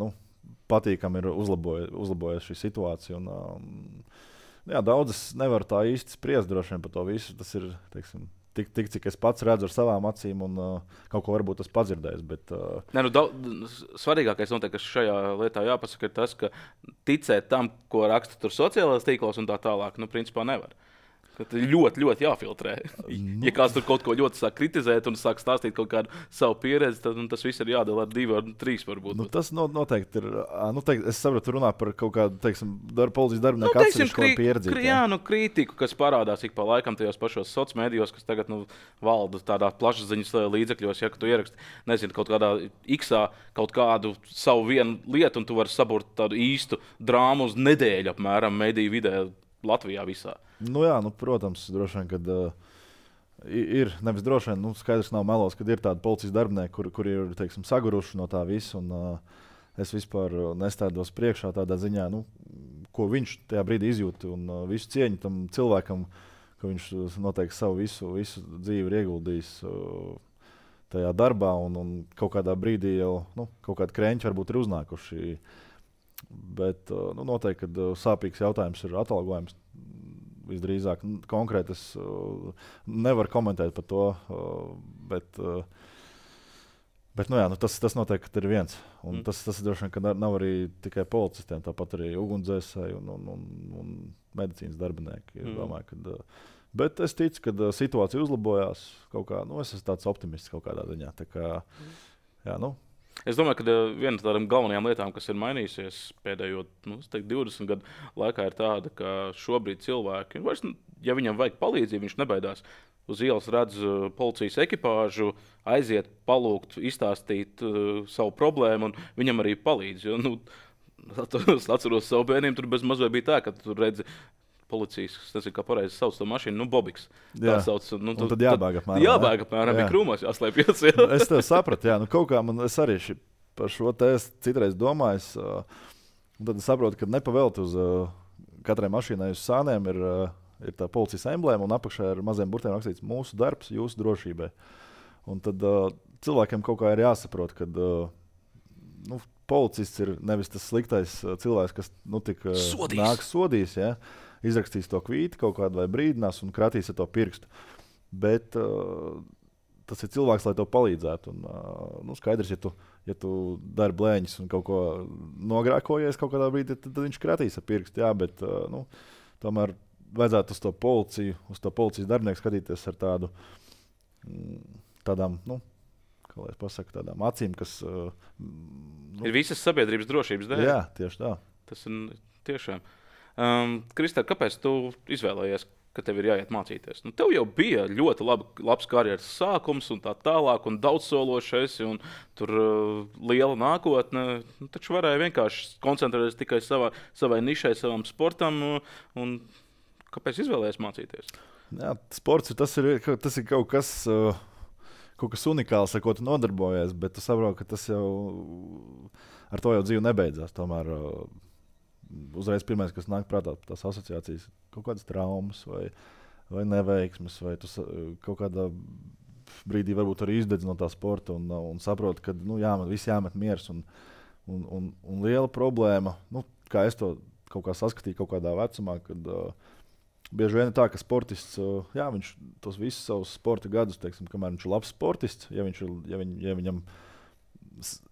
Speaker 1: patīkami ir uzlabojies šī situācija. Daudzas nevar tā īsti spriest droši vien par to visu. Tas ir tik cik es pats redzu ar savām acīm, un kaut ko varbūt tas padzirdējis. Bet,
Speaker 2: svarīgākais noteikti, kas šajā lietā jāpasaka, ir tas, ka ticēt tam, ko raksta tur sociālajos tīklos un tā tālāk, principā nevar. Ļoti, ļoti jāfiltrē. Ja kāds tur kaut ko ļoti sāk kritizēt un sāk stāstīt kaut kādu savu pieredzi, tad tas viss ir jādala ar 2 vai 3 varbūt.
Speaker 1: Tas noteikti ir. Es saprotu, runā par kaut kādu, teiksim, policijas darbinieku atsevišķu pieredzi.
Speaker 2: Kritiku, kas parādās ik pa laikam tajos pašos sociālos mēdījos, kas tagad valda tādā plašsaziņas līdzekļos, ja tu ieraksti, nezinu, kaut kādā X-ā kaut kādu savu vienu lietu, un tu vari saburt tādu īstu drāmu uz nedēļu apmēram mediju vidē Latvijā visā.
Speaker 1: Protams, droši vien, kad ir, nevis droši vien, skaidrs nav melos, kad ir tādi policijas darbinieki, kuri ir, teiksim, saguruši no tā visa, un es vispār nestādos priekšā tādā ziņā, ko viņš tajā brīdī izjūt, un visu cieņu tam cilvēkam, ka viņš noteikti savu visu dzīvi ir ieguldījis tajā darbā, un kaut kādā brīdī jau, kaut kādi krēņķi varbūt ir uznākuši. Bet noteikti, kad sāpīgs jautājums ir atalgojums, visdrīzāk konkrēti es nevaru komentēt par to, bet tas noteikti ir viens. Un tas droši vien, ka nav arī tikai policistiem, tāpat arī ugunsdzēsēji un medicīnas darbinieki. Bet es ticu, ka situācija uzlabojās kaut kā, es esmu tāds optimists kaut kādā ziņā. Tā kā,
Speaker 2: Es domāju, ka viena no tādām galvenajām lietām, kas ir mainījusies pēdējo 20 gadu laikā, ir tāda, ka šobrīd cilvēki, ja viņam vajag palīdzību, viņš nebaidās uz ielas redz policijas ekipāžu, aiziet, palūgt, izstāstīt savu problēmu, un viņam arī palīdz. Es atceros savu bērniem, tur bez mazliet bija tā, ka tu redzi policijas, es nezinu, kā pareizi sauc to mašīnu, Bobiks. Tā sauc.
Speaker 1: Tad jābēg apmēram.
Speaker 2: Jābēg apmēram, bija krūmos jāslēpjas.
Speaker 1: Es tev sapratu, kaut kā es arī par šo tēstu citreiz domāju. Tad es saprotu, ka nepavēlti uz katrai mašīnai uz sāniem ir tā policijas emblēma, un apakšā ir maziem burtiem rakstīts mūsu darbs, jūsu drošībai. Un tad cilvēkiem kaut kā ir jāsaprot, ka policists ir nevis tas sliktais cilvēks, kas nāks sodīs. Ja? Izrakstīs to kvīti kaut kādu vai brīdinās un kratīs ar to pirkstu. Bet tas ir cilvēks, lai tev palīdzētu. Un, skaidrs, ja tu dari blēņas un kaut ko nogrēkojies kaut kādā brīdī, tad viņš kratīs ar pirkstu. Jā, bet tomēr vajadzētu uz to policiju, uz to policijas darbinieku skatīties ar tādām, kā lai es pasaku, tādām acīm, kas
Speaker 2: ir visas sabiedrības drošības dēļ.
Speaker 1: Jā, tieši tā.
Speaker 2: Tas ir tiešām. Kristēr, kāpēc tu izvēlējies ka tev ir jāiet mācīties. Nu, tev jau bija ļoti labs karjeras sākums un tā tālāk, un daudzsološais, un tur liela nākotne. Nu, taču varēja vienkārši koncentrēties tikai savai nišai, savam sportam. Un kāpēc izvēlējies mācīties?
Speaker 1: Jā, sports tas ir kaut kas unikāls, ar ko tu nodarbojies, bet tu saproti, ka tas jau ar to jau dzīve nebeidzās. Tomēr uzreiz pirmais, kas nāk prātā, tās asociācijas, kaut kādas traumas vai neveiksmes, vai tu kaut kādā brīdī varbūt arī izdedz no tā sporta un saproti, ka viss jāmet miers. Un liela problēma, kā es to kaut kā saskatīju kaut kādā vecumā, kad bieži vien ir tā, ka sportists, viņš tos visus savus sporta gadus, teiksim, kamēr viņš ir labs sportists, ja viņam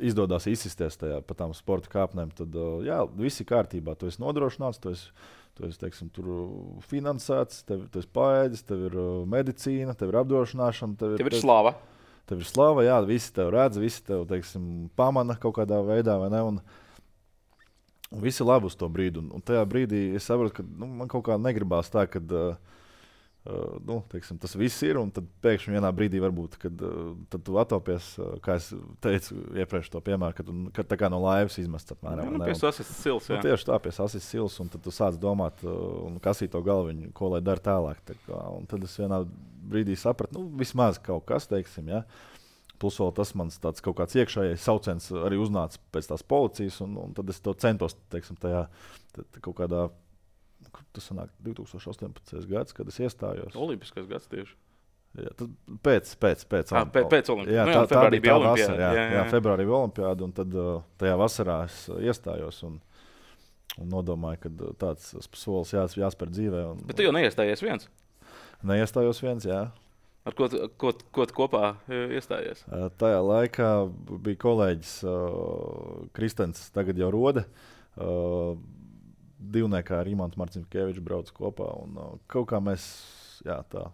Speaker 1: izdodas izsisties pa tām sporta kāpnēm, tad viss ir kārtībā. Tu esi nodrošināts, tu esi teiksim, tur finansēts, tu esi paēdis, tev ir medicīna, tev ir apdrošināšana.
Speaker 2: Tev ir slava.
Speaker 1: Tev ir slava, jā, visi tev redz, visi tev teiksim, pamana kaut kādā veidā, vai ne? Un visi ir labi uz to brīdi. Un tajā brīdī es saprotu, ka man kaut kā negribās tā, ka teiksim, tas viss ir, un tad pēkšņi vienā brīdī varbūt, kad tu atopies, kā es teicu iepriekš to piemēru, kad tā kā no laivas izmests apmēram.
Speaker 2: Pie sasist sils, jā.
Speaker 1: Tieši tā, pie sasist sils, un tad tu sāc domāt un kasīt to galviņu, ko lai dara tālāk. Un tad es vienā brīdī sapratu, vismaz kaut kas, teiksim, ja. Plus vēl tas mans tāds kaut kāds iekšējais sauciens arī uznāca pēc tās policijas, un tad es to centos, teiksim, tajā kaut kādā. Tas sanāk 2018. gads, kad es iestājos.
Speaker 2: Olimpiskais gads tieši.
Speaker 1: Jā, pēc
Speaker 2: Olimpiskās.
Speaker 1: Jā, tā bija tā vasara. Jā, februārī bija Olimpiāda, un tad tajā vasarā es iestājos un nodomāju, ka tāds solis jāspēr dzīvē.
Speaker 2: Bet tu jau neiestājies viens?
Speaker 1: Neiestājos viens, jā.
Speaker 2: Ar ko tu kopā iestājies?
Speaker 1: Tajā laikā bija kolēģis Kristens, tagad jau Rode. Divniekā ar Imantu Marcinkeviču brauc kopā. Un, kaut kā mēs, tā,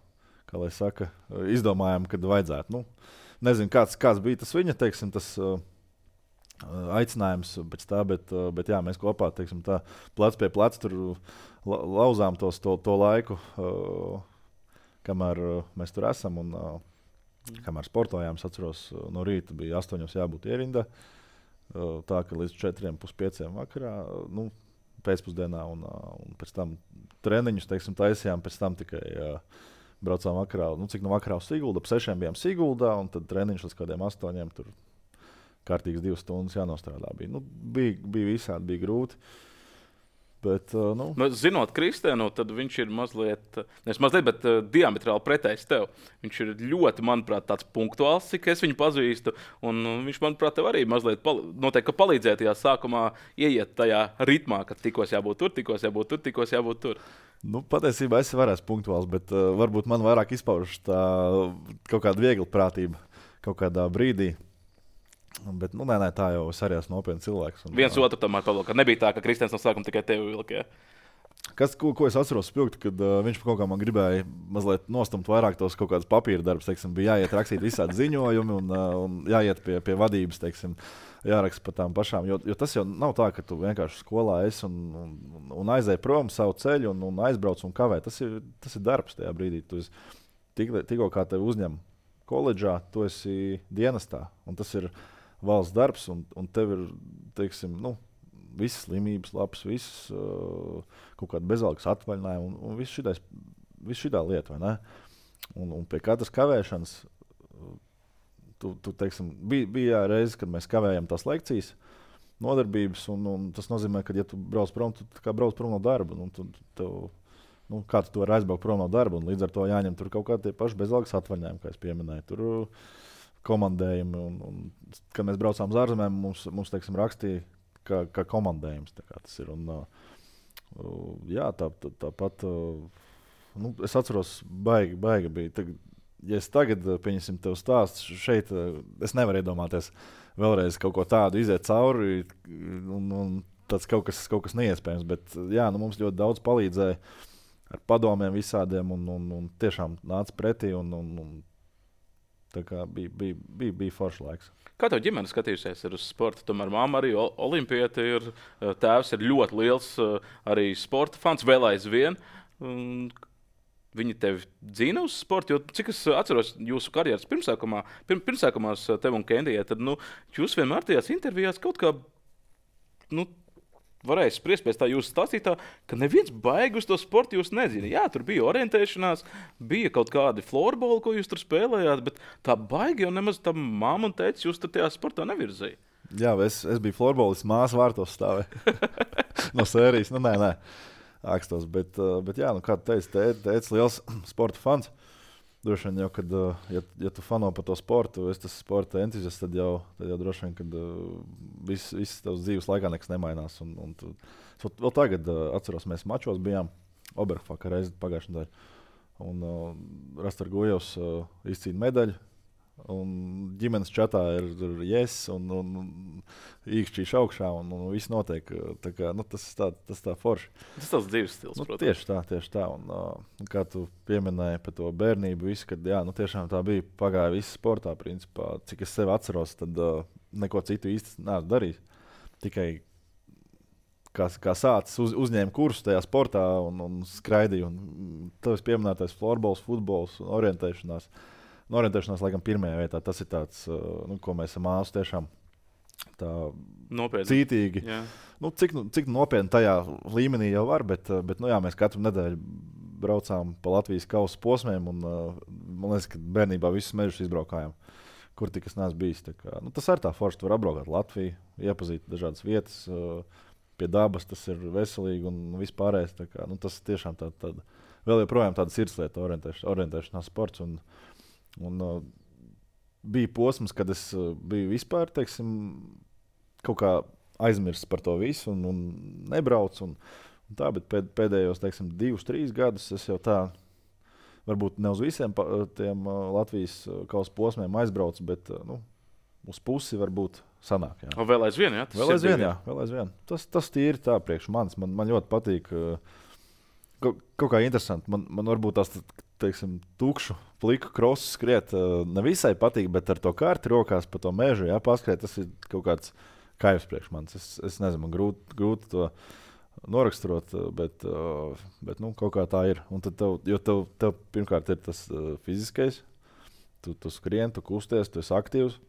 Speaker 1: kā lai saka, izdomājām, kad vajadzētu. Nezinu, kāds bija tas viņa, teiksim, tas aicinājums pēc tā, bet jā, mēs kopā, teiksim, tā, plec pie pleca tur lauzām to laiku, kamēr mēs tur esam. Un, kamēr sportojām, es atceros, no rīta bija 8 jābūt ierindā. Tā, ka līdz 4:30 vakarā, pēcpusdienā, un pēc tam treniņus, teiksim, taisījām, pēc tam tikai braucām vakarā, cik no vakarā uz Siguldu, ap 6 bijām Siguldā, un tad treniņš līdz kādiem 8, tur kārtīgs 2 stundas jānostrādā. Bija visādi, bija grūti. Bet,
Speaker 2: zinot Kristēnu, tad viņš ir mazliet, bet diametrāli pretējs tev. Viņš ir ļoti, manuprāt, tāds punktuāls, cik es viņu pazīstu. Un viņš, manuprāt, tev arī mazliet noteikti palīdzēja tajā sākumā ieiet tajā ritmā, ka tikos jābūt tur, tikos jābūt tur.
Speaker 1: Patiesībā es varēšu punktuāls, bet varbūt man vairāk izpaužas tā kaut kāda viegla prātība kaut kādā brīdī. Bet, nē, tā jau es arī esmu nopietns cilvēks.
Speaker 2: Viens otru tomēr palūk. Nebija tā, ka Kristēns no sākuma tikai tevi vilka.
Speaker 1: Ko es atceros spilgti, kad viņš kaut kā man gribēja mazliet nostumt vairāk tos kaut kādus papīra darbus. Teiksim, bija jāiet rakstīt visādi ziņojumi un jāiet pie vadības, teiksim, jāraksta par tām pašām. Jo tas jau nav tā, ka tu vienkārši skolā esi un aizēji prom savu ceļu un aizbrauc un kavē. Tas ir darbs tajā brīdī. Tikko kā tevi uzņem koledžā, tu esi dienestā. Un tas ir valsts darbs, un tev ir, teiksim, visas slimības, labs, visas kaut kāda bezalgas atvaļinājuma un viss šitā lieta, vai ne? Un pie katras kavēšanas, teiksim, bija reize, kad mēs kavējam tās lekcijas, nodarbības, un tas nozīmē, ka, ja tu brauc prom, tu kā brauc prom no darba, kā tu vari aizbraukt prom no darba, un līdz ar to jāņem tur kaut kādi tie paši bezalgas atvaļinājumi, kā es pieminēju. Tur komandējumi, un kad mēs braucām uz ārzemēm, mums teiksim, rakstīja, kā komandējums. Tā kā tas ir. Tāpat es atceros, baigi bija. Ja es tagad, pieņemsim, tev stāstu šeit, es nevaru iedomāties vēlreiz kaut ko tādu iziet cauri, un tāds kaut kas neiespējams. Bet mums ļoti daudz palīdzēja ar padomiem visādiem, un tiešām nāca pretī, un tā kā bija foršs laiks.
Speaker 2: Kā tev ģimene skatījusies uz sportu? Tomēr mamma arī olimpiete ir, tēvs ir ļoti liels arī sporta fans, vēl aizvien. viņi tevi dzina uz sporta, jo cik es atceros jūsu karjeras pirmsākumās tev un Kendijai, tad jūs vienmēr tajās intervijās kaut kā varēja spriest pēc tā jūsu stāstītā, ka neviens baigi uz to sportu jūs nezina. Jā, tur bija orientēšanās, bija kaut kādi florboli, ko jūs tur spēlējāt, bet tā baigi jau nemaz tā māma un tētis jūs tur tajā sportā nevirzīja.
Speaker 1: Jā, es biju florbolis, māsa vārtos stāvēja no sērijas. Nē, ākstos, bet jā, kā tu teici, tētis liels sporta fans. Droši vien jau, kad ja tu fano par to sportu, es tas sporta entuziasts, tad jau droši vien, kad viss tavs dzīves laikā nekas nemainās. Un tu, vēl tagad atceros, mēs mačos bijām Oberhofā reizi pagājušajā nedēļā. Un Rastar Gujevs izcīna medaļu. Un ģimenes čatā ir yes, un īkšķīši augšā, un viss notiek. Kā, tas tā forši.
Speaker 2: Tas tāds dzīves stils, protams.
Speaker 1: Tieši tā. Un kā tu pieminēji par to bērnību, visu, kad jā, tiešām tā bija pagāja viss sportā, principā. Cik es sevi atceros, tad neko citu īsti neesmu darījis. Tikai kā sācis uzņēma kursu tajā sportā un skraidīja. Un tavs pieminētais florbols, futbols un orientēšanās. Orientēšanās, laikam, pirmajā vietā. Tas ir tāds, ko mēs esam māsu tiešām tā
Speaker 2: nopietni.
Speaker 1: Cītīgi. Cik nopietni tajā līmenī jau var, bet jā, mēs katru nedēļu braucām pa Latvijas kausa posmiem un man liekas, ka bērnībā visus mežus izbraukājām, kur tik es neesmu bijis. Tas ir tā forši, tu var apbraukāt Latviju, iepazīt dažādas vietas, pie dabas, tas ir veselīgi un vispārējais. Tas tiešām tāda, vēl joprojām tāda sirdslieta orientēšanās sports. Un bija posms, kad es biju vispār, teiksim, kaut kā aizmirsis par to visu un nebraucu. Un tā, bet pēdējos, teiksim, 2-3 gadus es jau tā, varbūt ne uz visiem tiem Latvijas kausa posmiem aizbraucu, bet uz pusi varbūt sanāk. Jā.
Speaker 2: Vēl aizvien, jā?
Speaker 1: Vēl aizvien. Tas tīri tā priekš manis. Man ļoti patīk. Kaut kā interesanti. Man varbūt tās, teiksim, tukšu, pliku krosu skriet nevisai patīk, bet ar to karti rokās pa to mežu, jā, paskriet, tas ir kaut kāds kaivs priekš manis. Es nezinu, man grūti to noraksturot, bet kaut kā tā ir. Un tad tev pirmkārt ir tas fiziskais, tu skrien, tu kusties, tu esi aktīvs,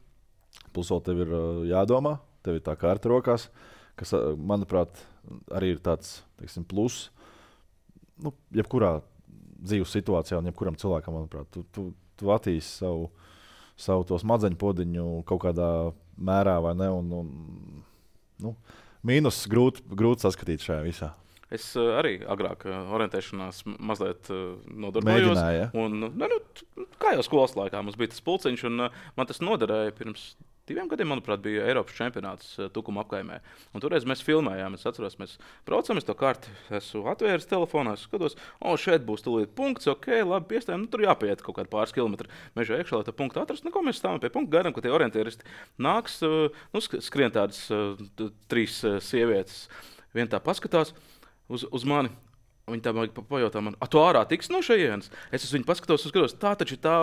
Speaker 1: plus vēl tev ir jādomā, tev ir tā karta rokās, kas, manuprāt, arī ir tāds, teiksim, plus. Jebkurā dzīves situācijā un jebkuram cilvēkam, manuprāt, tu attīsti savu to smadzeņu podiņu kaut kādā mērā, vai ne? Mīnus grūti saskatīt šajā visā.
Speaker 2: Es arī agrāk orientēšanās mazliet nodarbojos.
Speaker 1: Mēģināja, ja?
Speaker 2: Un, kā jau skolas laikā mums bija tas pulciņš, un man tas noderēja pirms 2 gadiem, manuprāt, bija Eiropas čempionāts Tukuma apkaimē. Un toreiz mēs filmējām, es atceros, mēs braucam, es to karti esmu atvēris telefonā, es skatos, šeit būs tūlīt punkts, ok, labi, piestājam, tur jāpiet kaut kādi pāris kilometri mežā iekšā, lai tā punktu atrast. Ko mēs stāvam pie punkta, gaidām, ka tie orientieristi nāks, skrien tādas 3 sievietes. Viena tā paskatās uz mani. Viņa tā pajautā man, tu ārā tiks no šejienes? Es uz viņu paskatos, tā taču ir tā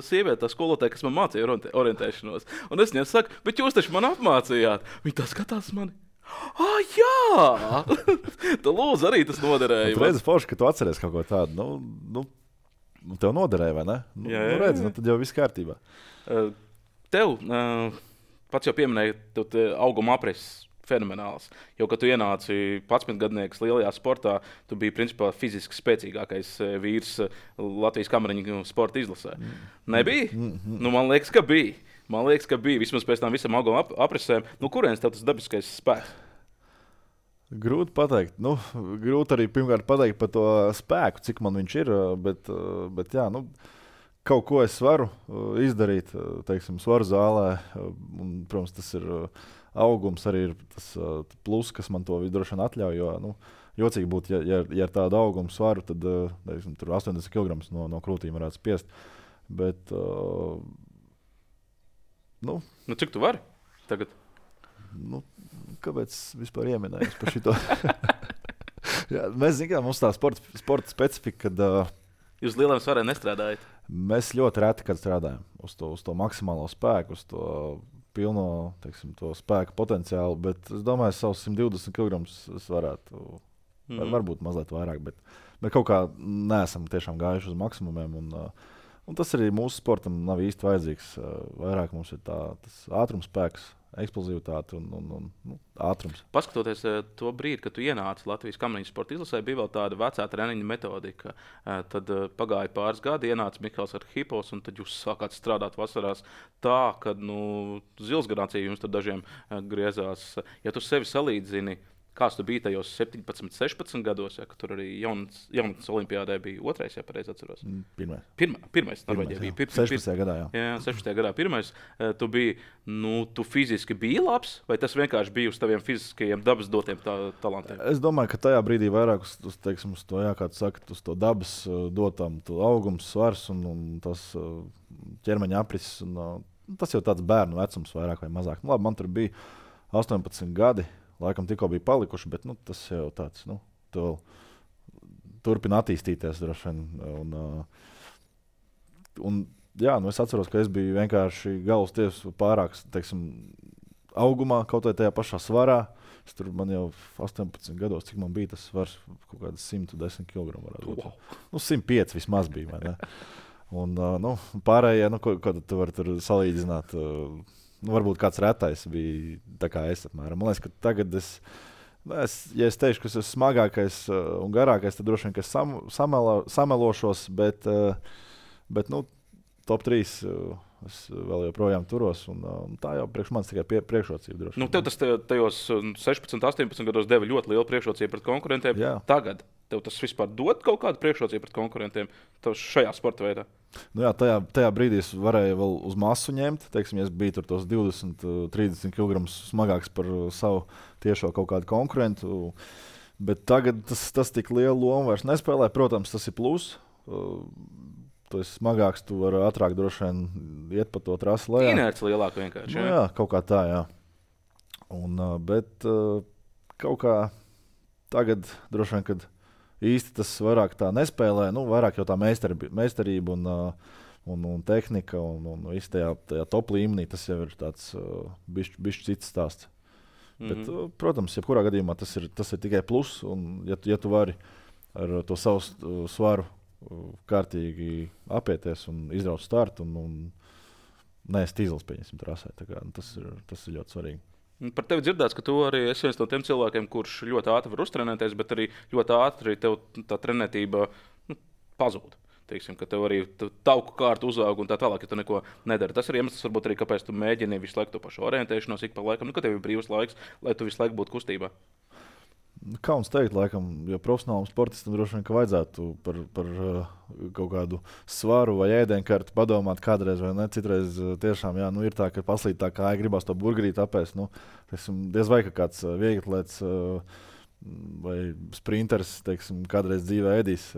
Speaker 2: sieviete, tā skolotāja, kas man mācīja orientēšanos. Un es viņai saku, bet jūs taču man apmācījāt. Viņa tā skatās mani. Jā! Tā lūdzu, arī tas noderēja.
Speaker 1: Tu redzi forši, ka tu atceries kaut ko tādu. Tev noderēja, vai ne? Redzi, tad jau viss kārtībā.
Speaker 2: Tev, pats jau pieminēja, tev auguma apreses. Fenomenāls. Jo, kad tu ienāci 11-gadnieks lielajā sportā, tu biji principā fiziski spēcīgākais vīrs Latvijas kamariņu sporta izlasē. Nebija? Man liekas, ka bija. Vismaz pēc tam visam auguma apresēm. Kurienes tev tas dabiskais spēks?
Speaker 1: Grūti pateikt. Grūti arī pirmkārt pateikt par to spēku, cik man viņš ir. Bet jā, kaut ko es varu izdarīt, teiksim, svaru zālē. Un, protams, tas ir augums arī ir tas plus, kas man to droši vien atļauj. Jo, jocīgi būtu, ja ar tādu augumu svaru, tad teiksim, tur 80 kg no krūtīm varētu spiest. Bet,
Speaker 2: cik tu vari tagad?
Speaker 1: Kāpēc vispār ieminējos par šito? Jā, mēs zinām, mums tā sporta specifika, kad
Speaker 2: jūs lieliem svariem nestrādājat?
Speaker 1: Mēs ļoti reti, kad strādājam uz to maksimālo spēku, uz to pilno, teiksim, to spēku potenciālu, bet es domāju, savus 120 kg es varētu Varbūt mazliet vairāk, bet kaut kā neesam tiešām gājuši uz maksimumiem. Un tas arī mūsu sportam nav īsti vajadzīgs. Vairāk mums ir tas ātrumspēks, eksplozivitāte un ātrums.
Speaker 2: Paskatoties to brīdi, kad tu ienāci Latvijas kamaniņu sporta izlasē, bija vēl tāda vecā treniņa metodika. Tad pagāja pāris gadi, ienāca Mihāls Arhīpovs, un tad jūs sākāt strādāt vasarās tā, ka zilsgranācija jums tur dažiem griezās. Ja tu sevi salīdzini, kāds tu biji tajos 17, 16 gados, ja, kad tur arī jaunatnes olimpiādē bija otrais, ja pareizi atceros? Pirmais Norvēģijā bija.
Speaker 1: 16. gadā, jā.
Speaker 2: Jā, 16. gadā pirmais. Tu biji, tu fiziski biji labs, vai tas vienkārši bija uz taviem fiziskajiem dabas dotiem talantiem?
Speaker 1: Es domāju, ka tajā brīdī vairāk uz to, jā, kā tu saki, uz to dabas dotam, augums, svars un tas ķermeņa aprises. Tas jau tāds bērnu vecums vairāk vai mazāk. Labi, man tur bija 18 gadi. Laikam tikko bija palikuši, bet tas jau tāds, tu vēl turpina attīstīties droši vien. Jā, es atceros, ka es biju vienkārši galvas tiesas pārāk, teiksim, augumā, kaut vai tajā pašā svarā. Man jau 18 gados, cik man bija tas svars, kaut kāds 110 kg varētu būt. 105 vismaz bija, vai ne? Un pārējie, ko tu vari tur salīdzināt, varbūt kāds retais bija tā kā es apmēram. Man liekas, ka tagad ja es teikšu, ka es esmu smagākais un garākais, tad droši vien, ka es samelošos, bet top 3 es vēl joprojām turos, un tā jau priekš manis tikai priekšrocība droši vien.
Speaker 2: Tev tas tajos 16, 18 gados deva ļoti lielu priekšrocību pret konkurentiem.
Speaker 1: Jā.
Speaker 2: Tagad tev tas vispār dod kaut kādu priekšrocību pret konkurentiem šajā sporta veidā?
Speaker 1: Jā, tajā brīdī es varēju vēl uz masu ņemt. Teiksim, ja es biju tur tos 20, 30 kg smagāks par savu tiešo kaut kādu konkurentu. Bet tagad tas tik lielu lomu vairs nespēlē. Protams, tas ir plus. Tu esi smagāks, tu vari ātrāk droši vien iet pa to trasi lejā.
Speaker 2: Inerci lielāka vienkārši.
Speaker 1: Jā, kaut kā tā, jā. Bet kaut kā tagad droši vien, kad īsti tas vairāk tā nespēlē, vairāk jau tā meistarība un tehnika un viss tajā top līmenī, tas jau ir tāds bišķi cits stāsts. Bet, protams, jebkurā gadījumā tas ir tikai plus, un ja tu vari ar to savu svaru kārtīgi apieties un izraut startu un neest izlas, pieņemsim, trasē. Tas ir ļoti svarīgi.
Speaker 2: Par tevi dzirdēts, ka tu arī esi viens no tiem cilvēkiem, kurš ļoti ātri var uztrenēties, bet arī ļoti ātri tev tā trenētība pazūd. Teiksim, ka tev arī tauku kārta uzaug un tā tālāk, ja tu neko nedari. Tas ir iemesls, varbūt arī, kāpēc tu mēģini visu laiku to pašu orientēšanos ik pa laikam, ka tev ir brīvs laiks, lai tu visu laiku būtu kustībā.
Speaker 1: Kauns teikt, laikam, jo profesionālam sportistam droši vien, ka vajadzētu par kaut kādu svaru vai ēdienkarti padomāt kādreiz vai ne. Citreiz tiešām ir tā, ka paslīd tā kāja, gribas to burgerīti apēst. Diez vai kāds vieglatlēts vai sprinteris, teiksim, kādreiz dzīvē ēdīs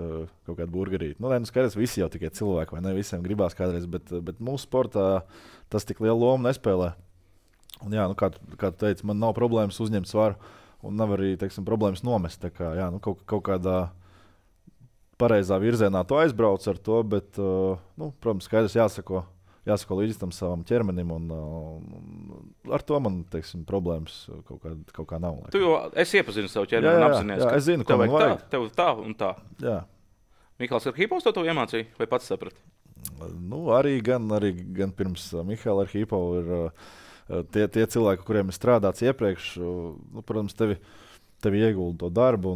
Speaker 1: kaut kādu burgerīti. Skaidrs, visi jau tikai cilvēki, vai ne? Visiem gribās kādreiz, bet mūsu sportā tas tik lielu lomu nespēlē. Un jā, kā tu teici, man nav problēmas uzņemt svaru. Un nav arī, teiksim, problēmas nomest. Kaut kādā pareizā virzienā tu aizbrauc ar to, bet, protams, skaidrs jāsako līdzi tam savam ķermenim. Un ar to man, teiksim, problēmas kaut kā nav.
Speaker 2: Tu jau esi iepazinis savu ķermeni un apzinājies,
Speaker 1: ka es zinu, ko man vajag.
Speaker 2: Tev tā un tā.
Speaker 1: Jā.
Speaker 2: Mihāls Arhīpovs to iemācīja vai pats saprati?
Speaker 1: Arī gan pirms Mihāla Arhīpova ir tie cilvēki, kuriem ir strādāts iepriekš, protams, tevi iegulda to darbu.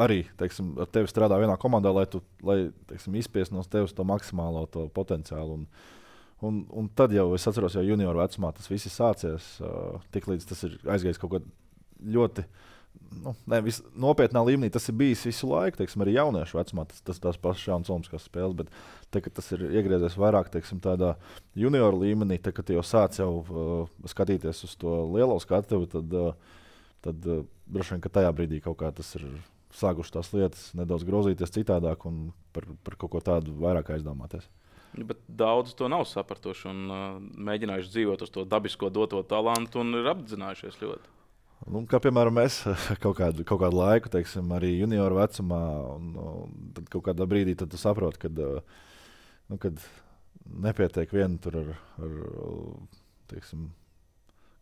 Speaker 1: Arī, teiksim, ar tevi strādā vienā komandā, lai teiksim, izspiest no tevis to maksimālo to potenciālu. Un tad jau, es atceros, jau junioru vecumā tas viss ir sācies. Tiklīdz tas ir aizgājis kaut ko ļoti nopietnā līmenī, tas ir bijis visu laiku, teiksim, arī jauniešu vecumā. Tas pašs jauns olimpiskās spēles, bet kad tas ir iegriezies vairāk, teiksim, tādā junioru līmenī, kad jau sāc jau skatīties uz to lielo skatuvi, tad droši vien, ka tajā brīdī kaut kā tas ir sākuši tās lietas nedaudz grozīties citādāk un par kaut ko tādu vairāk aizdomāties.
Speaker 2: Bet daudz to nav sapratuši un mēģinājuši dzīvot uz to dabisko doto talantu un ir apzinājušies ļoti.
Speaker 1: Kā piemēram, es kaut kādu laiku, teiksim, arī junioru vecumā, un tad kaut kādā brīdī tu saproti, kad nepietiek vien tur ar teiksim,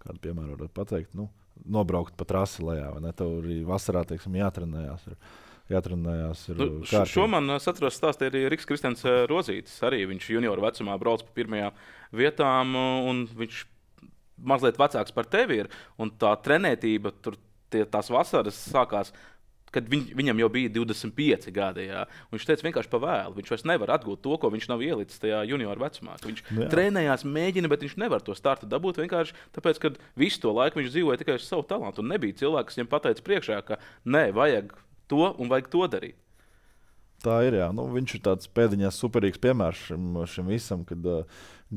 Speaker 1: kādu piemēru varētu pateikt, nobraukt pa trasi lejā, vai ne? Tev arī vasarā, teiksim, jātrenējās.
Speaker 2: Šo man atceros stāstīja arī Riks Kristians Rozītis. Arī viņš junioru vecumā brauc pa pirmajām vietām, un viņš mazliet vecāks par tevi ir. Un tā trenētība, tās vasaras sākās, kad viņam jau bija 25 gadi. Jā. Viņš teica, vienkārši pa vēlu. Viņš vairs nevar atgūt to, ko viņš nav ielicis tajā junioru vecumā. Viņš trenējās, mēģina, bet viņš nevar to startu dabūt vienkārši tāpēc, ka visu to laiku viņš dzīvoja tikai uz savu talantu. Un nebija cilvēks, kas viņam pateica priekšā, ka nē, vajag to un vajag to darīt.
Speaker 1: Tā ir, jā. Viņš ir tāds pēdiņās superīgs piemērs šim visam, kad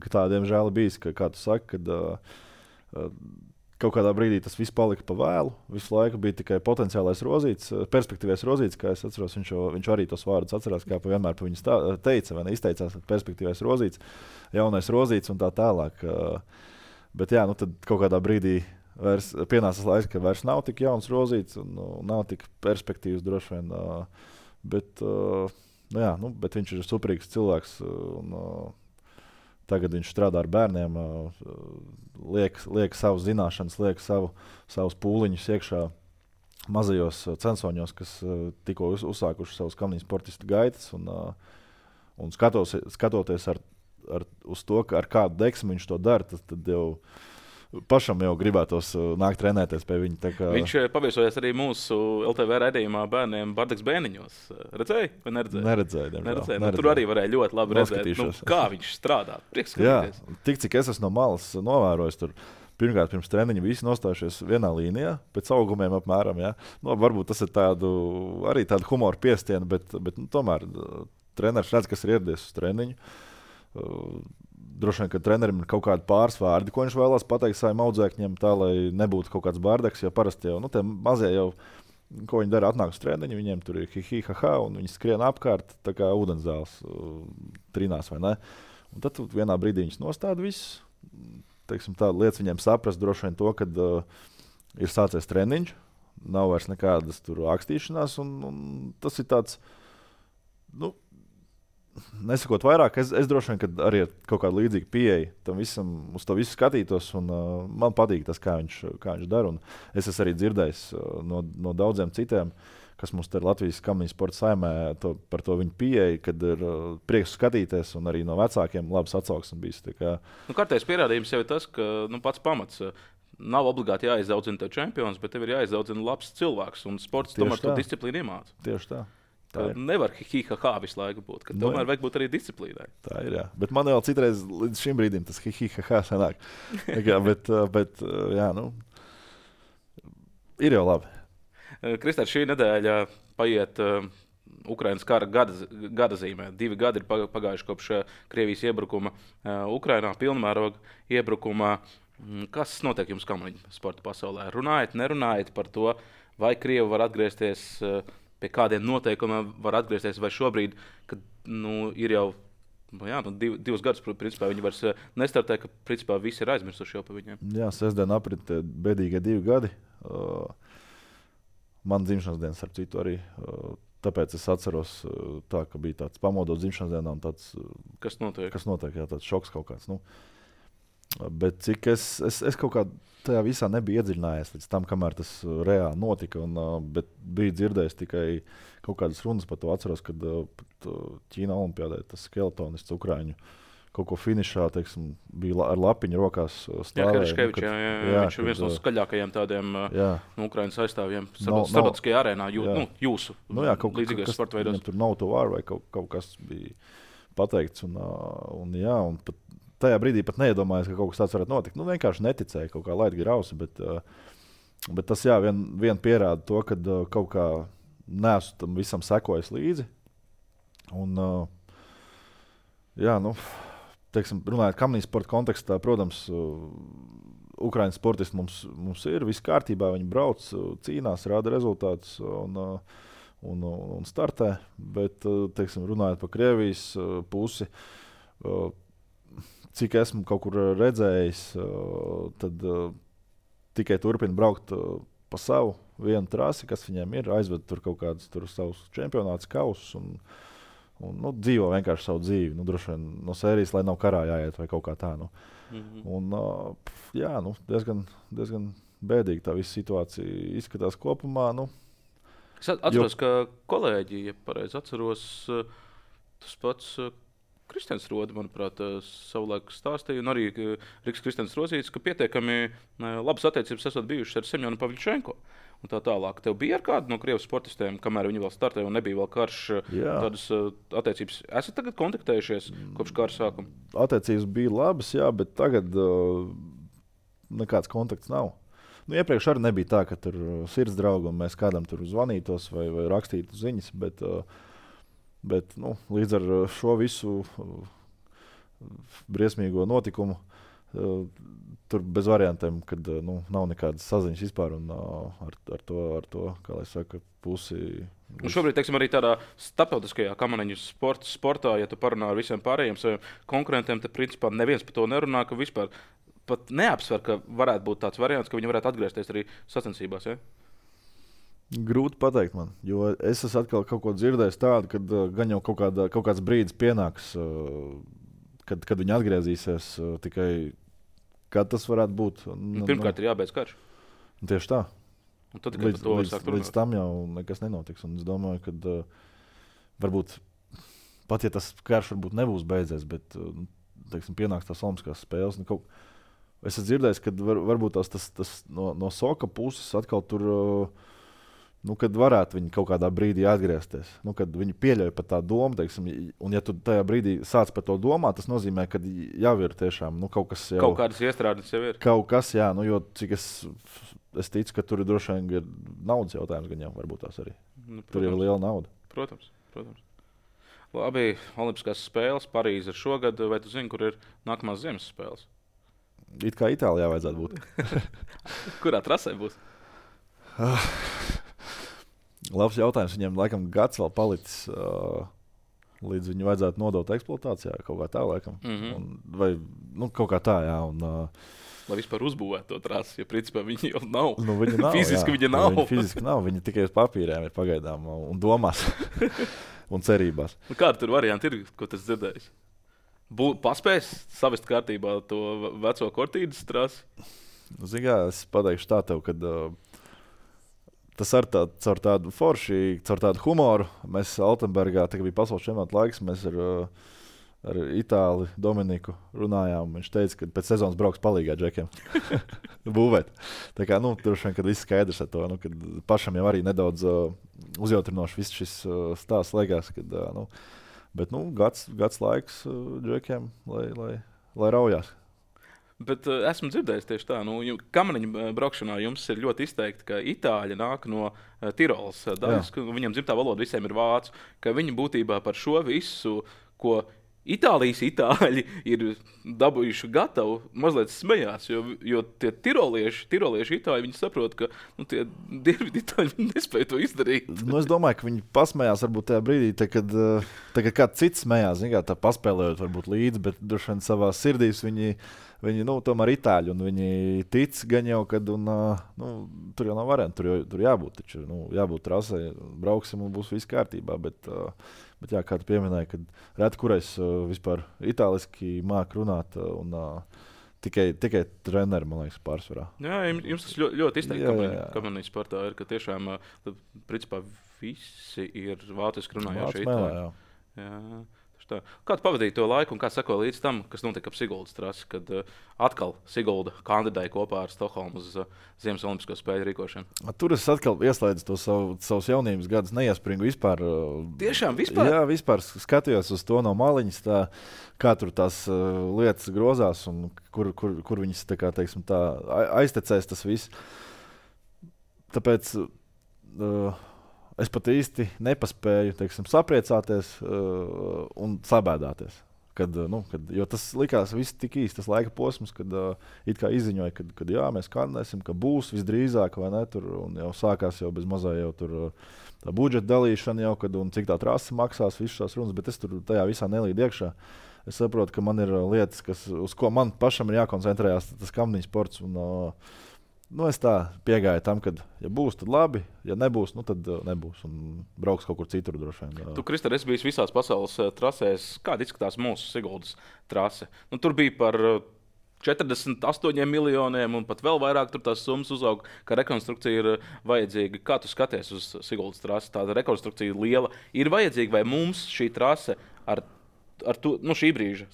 Speaker 1: tā, diemžēl, bijis, kā tu saki, kad kaut kādā brīdī tas viss palika pa vēlu. Visu laiku bija tikai potenciālais Rozītis, perspektīvais Rozītis, kā es atceros, viņš arī tos vārdus atcerās, kā vienmēr pa viņu teica, vai ne, izteicās perspektīvais Rozītis, jaunais Rozītis un tā tālāk. Bet jā, tad kaut kādā brīdī pienāca laiks, ka vairs nav tik jauns Rozītis un nav tik perspektīvas droši vien. Bet viņš ir superīgs cilvēks. Tagad viņš strādā ar bērniem, liek savas zināšanas, liek savus pūliņus iekšā mazajos censoņos, kas tikko uzsākuši savus kamniņu sportistu gaitas. Un skatoties uz to, ar kādu deksmu viņš to dara, tad jau pašam jau gribētos nākt trenēties pie viņa.
Speaker 2: Viņš paviesojās arī mūsu LTV raidījumā bērniem Bardaks Bēniņos. Redzēji vai neredzēji?
Speaker 1: Neredzēju.
Speaker 2: Tur arī varēja ļoti labi redzēt, kā viņš strādā. Prieks skatīties.
Speaker 1: Jā, tik cik es esmu no malas novērojis tur. Pirmkārt, pirms treniņa visi nostājušies vienā līnijā, pēc augumiem apmēram. Ja? Varbūt tas ir arī tādu humoru piestienu, bet tomēr treneris redz, kas ir ieradies uz treniņu. Droši vien, ka trenerim ir kaut kādi pārsvārdi, ko viņš vēlās pateikt saviem audzēkņiem, tā, lai nebūtu kaut kāds bārdeks, jo parasti jau, tie mazie jau, ko viņi dara, atnāk uz treniņu, viņiem tur ir hi-hi-ha-ha, un viņi skrien apkārt, tā kā ūdensdēls trinās, vai ne? Un tad vienā brīdī viņus nostāda visus, teiksim tā, lietas viņiem saprast droši vien to, kad ir sācies treniņš, nav vairs nekādas tur ākstīšanās, un tas ir tāds, nesakot vairāk, es droši vien, kad arī ir kaut kāda līdzīga pieeja tam visam, uz to visu skatītos, un man patīk tas, kā viņš dara. Un es esmu arī dzirdējis no daudziem citiem, kas mums te Latvijas kamniņu sporta saimē par to viņu pieeju, kad ir prieks skatīties, un arī no vecākiem labs atsauksmes bijis.
Speaker 2: Kārtējs pierādījums jau ir tas, ka pats pamats nav obligāti jāizaudzina tev čempions, bet tev ir jāizaudzina labs cilvēks, un sports tomēr to disciplīnu iemāca.
Speaker 1: Tieši tā.
Speaker 2: Nevar hi-hi-ha visu laiku būt. Tomēr vajag būt arī disciplīnai.
Speaker 1: Tā ir, jā. Bet man vēl citreiz līdz šim brīdim tas hi-hi-ha sanāk. bet jā, ir jau labi.
Speaker 2: Kristēr, šī nedēļa paiet Ukrainas kara gada zīmē. 2 gadi ir pagājuši kopš Krievijas iebrukuma Ukrainā, pilnmēroga iebrukuma. Kas notiek jums kamniņu sporta pasaulē? Runājat, nerunājat par to, vai Krievi var atgriezties pie kādiem noteikumiem var atgriezties, vai šobrīd, kad ir jau 2 gadus, principā viņi vairs nestartē, ka principā visi ir aizmirsuši jau par viņiem. Jā,
Speaker 1: sestdien aprit bēdīgie 2 gadi. Man dzimšanas dienas ar citu arī. Tāpēc es atceros, ka bija tāds pamodot dzimšanas dienā un tāds.
Speaker 2: Kas notiek?
Speaker 1: Jā, tāds šoks kaut kāds. Bet cik es kaut kā tajā visā nebiju iedziļinājies līdz tam, kamēr tas reāli notika. Bet biju dzirdējis tikai kaut kādas runas par to. Atceros, kad Ķīna olimpiādē tas skeletonists Ukraiņu kaut ko finišā, teiksim, bija ar lapiņu rokās stāvēja.
Speaker 2: Viņš ir viens no skaļākajiem tādiem Ukraiņas aizstāvjiem starptautiskajā arēnā, jūsu līdzīgais sporta veidos.
Speaker 1: Tur nav to vāru vai kaut kas bija pateikts. Un pat tajā brīdī pat neiedomājos, ka kaut kas tāds varētu notikt. Vienkārši neticēju, kaut kā laid grausi, bet tas vien pierāda to, ka kaut kā neesmu tam visam sekojis līdzi. Un, teiksim, runājot kamniņu sporta kontekstā, protams, Ukraiņas sportisti mums ir viss kārtībā, viņi brauc, cīnās, rāda rezultātus un startē, bet, teiksim, runājot par Krievijas pusi, cik esmu kaut kur redzējis, tad tikai turpina braukt pa savu vienu trasi, kas viņiem ir, aizved tur kaut kādus savus čempionātus kausus un dzīvo vienkārši savu dzīvi. Droši vien no sērijas, lai nav karā jāiet vai kaut kā tā. Un, diezgan bēdīgi tā visa situācija izskatās kopumā.
Speaker 2: Es atceros, ka kolēģi, ja pareizi atceros, tas pats Kristians Rode, manuprāt, savulaik stāstīja, un arī Riks Kristians Rozītis, ka pietiekami labas attiecības esat bijušas ar Semjonu Pavļčenko. Un tā tālāk. Tev bija ar kādu no Krievijas sportistiem, kamēr viņi vēl startēja un nebija vēl karš, tādas attiecības? Esat tagad kontaktējušies kopš kara sākuma?
Speaker 1: Attiecības bija labas, jā, bet tagad nekāds kontakts nav. Iepriekš arī nebija tā, ka tur sirds draugi un mēs kādam tur zvanītos vai rakstītu ziņas, bet līdz ar šo visu briesmīgo notikumu tur bez variantiem, kad nav nekādas saziņas vispār un ar to, kā lai saka, pusi.
Speaker 2: Un šobrīd, teiksim, arī tādā starptautiskajā kamaniņu sportā, ja tu parunā ar visiem pārējiem saviem konkurentiem, tad principā neviens par to nerunā, ka vispār pat neapsver, ka varētu būt tāds variants, ka viņi varētu atgriezties arī sacensībās. Ja?
Speaker 1: Grūti pateikt man, jo es esmu atkal kaut ko dzirdējis tādu, kad gan jau kaut kāds brīdis pienāks, kad viņi atgriezīsies tikai. Kad tas varētu būt?
Speaker 2: Pirmkārt, ir jābeidz karš.
Speaker 1: Tieši tā.
Speaker 2: Un tad tikai par to var sākt runāt.
Speaker 1: Līdz tam jau nekas nenotiks. Un es domāju, ka varbūt pat ja tas karš varbūt nebūs beidzies, bet teiksim, pienāks tās olimpiskās spēles. Es esmu dzirdējis, ka varbūt tas no Soka puses atkal tur. Kad varētu viņi kaut kādā brīdī atgriezties, kad viņi pieļauj pat tā domu, teiksim, un ja tu tajā brīdī sāc par to domāt, tas nozīmē, ka jau ir tiešām kaut kas jau.
Speaker 2: Kaut kādas iestrādes jau ir.
Speaker 1: Kaut kas, jā, jo cik es ticu, ka tur droši vien ir naudas jautājums, gan jau varbūt tās arī. Tur ir liela nauda.
Speaker 2: Protams. Labi, Olimpiskās spēles Parīze ir šogad, vai tu zini, kur ir nākamās ziemas spēles?
Speaker 1: It kā Itālijā vajadzētu būt.
Speaker 2: Kurā trasē būs?
Speaker 1: Labs jautājums. Viņiem laikam gads vēl palicis, līdz viņu vajadzētu nodot eksploatācijā. Kaut kā tā, laikam. Vai kaut kā tā, jā.
Speaker 2: Lai vispār uzbūvētu to trasi, jo principā viņi jau nav.
Speaker 1: Viņi nav
Speaker 2: fiziski viņi nav.
Speaker 1: Viņi fiziski nav. Viņi tikai uz papīriem ir pagaidām un domās un cerībās.
Speaker 2: Kāda tur varianti ir, ko tas dzirdējis? Paspējas savest kārtībā to veco Kortīdas trasi?
Speaker 1: Es pateikšu tā tev, kad tas ar caur tādu forši, caur tādu humoru. Mēs Altenbergā, tā bija pasaules čempionāta laiks, mēs ar Itāli Dominiku runājām. Viņš teica, ka pēc sezonas brauks palīgā džekiem būvēt. Tā kā, droši vien, kad viss skaidrs ar to, kad pašam jau arī nedaudz uzjautrinoši viss šis stāsts liekas, kad, bet, gads laiks džekiem, lai raujās.
Speaker 2: Bet esmu dzirdējis tieši tā, kamaniņu braukšanā jums ir ļoti izteikti, ka itāļi nāk no Tirolas daļas, ka viņiem dzimtā valoda visiem ir vācu, ka viņi būtībā par šo visu, ko Itālijas itāļi ir dabūjuši gatavu, mazliet smējās, jo tie tirolieši itāļi, viņi saprot, ka tie dienvidu itāļi nespēja to izdarīt.
Speaker 1: Es domāju, ka viņi pasmējās varbūt tajā brīdī, kad kāds cits smējās, tā paspēlējot varbūt līdzi, bet droši vien savā sirdīs viņi tomēr itāļi, un viņi tic gan jau, kad tur jau nav variantu, tur jābūt, taču jābūt trasē, brauksim un būs viss kārtībā, bet jā, kā tu pieminēji, kad reti kurais vispār itāliski māk runāt un tikai treneri, man liekas, pārsvarā.
Speaker 2: Jā, jums tas ļoti izteikti kamaniņu sportā ir, ka tiešām principā visi ir vāciski runājoši itāļi. Jā. Kā tu pavadīji to laiku un kā sekoja līdz tam, kas notika ap Siguldas trasi, kad atkal Sigulda kandidēja kopā ar Stokholmu uz Ziemas Olimpisko spēļu rīkošanu?
Speaker 1: Tur es atkal ieslēdzu to savus jaunības gadus, neiespringu vispār.
Speaker 2: Tiešām vispār?
Speaker 1: Jā, vispār skatījos uz to no maliņas, kā tur tās lietas grozās un kur viņas teiksim, aiztecēs tas viss. Tāpēc es pat īsti nepaspēju sapriecāties un sabēdāties. Jo tas likās viss tik īsti, tas laika posms, kad it kā izziņoja, ka jā, mēs kandidēsim, ka būs visdrīzāk, vai ne, tur, un jau sākās jau bez mazā jau tur tā budžeta dalīšana jau, un cik tā trasa maksās, visas šās runas, bet es tur tajā visā nelīdu iekšā. Es saprotu, ka man ir lietas, uz ko man pašam ir jākoncentrējās, tas kamaniņu sports, es tā piegāju tam, ka, ja būs, tad labi, ja nebūs, tad nebūs. Un brauks kaut kur citur droši vien.
Speaker 2: Tu, Kristāne, esi bijis visās pasaules trasēs. Kāda izskatās mūsu Siguldas trase? Tur bija par 48 miljoniem un pat vēl vairāk tur tās summas uzauga, ka rekonstrukcija ir vajadzīga. Kā tu skaties uz Siguldas trasi? Tāda rekonstrukcija liela ir vajadzīga, vai mums šī trase ar šī brīža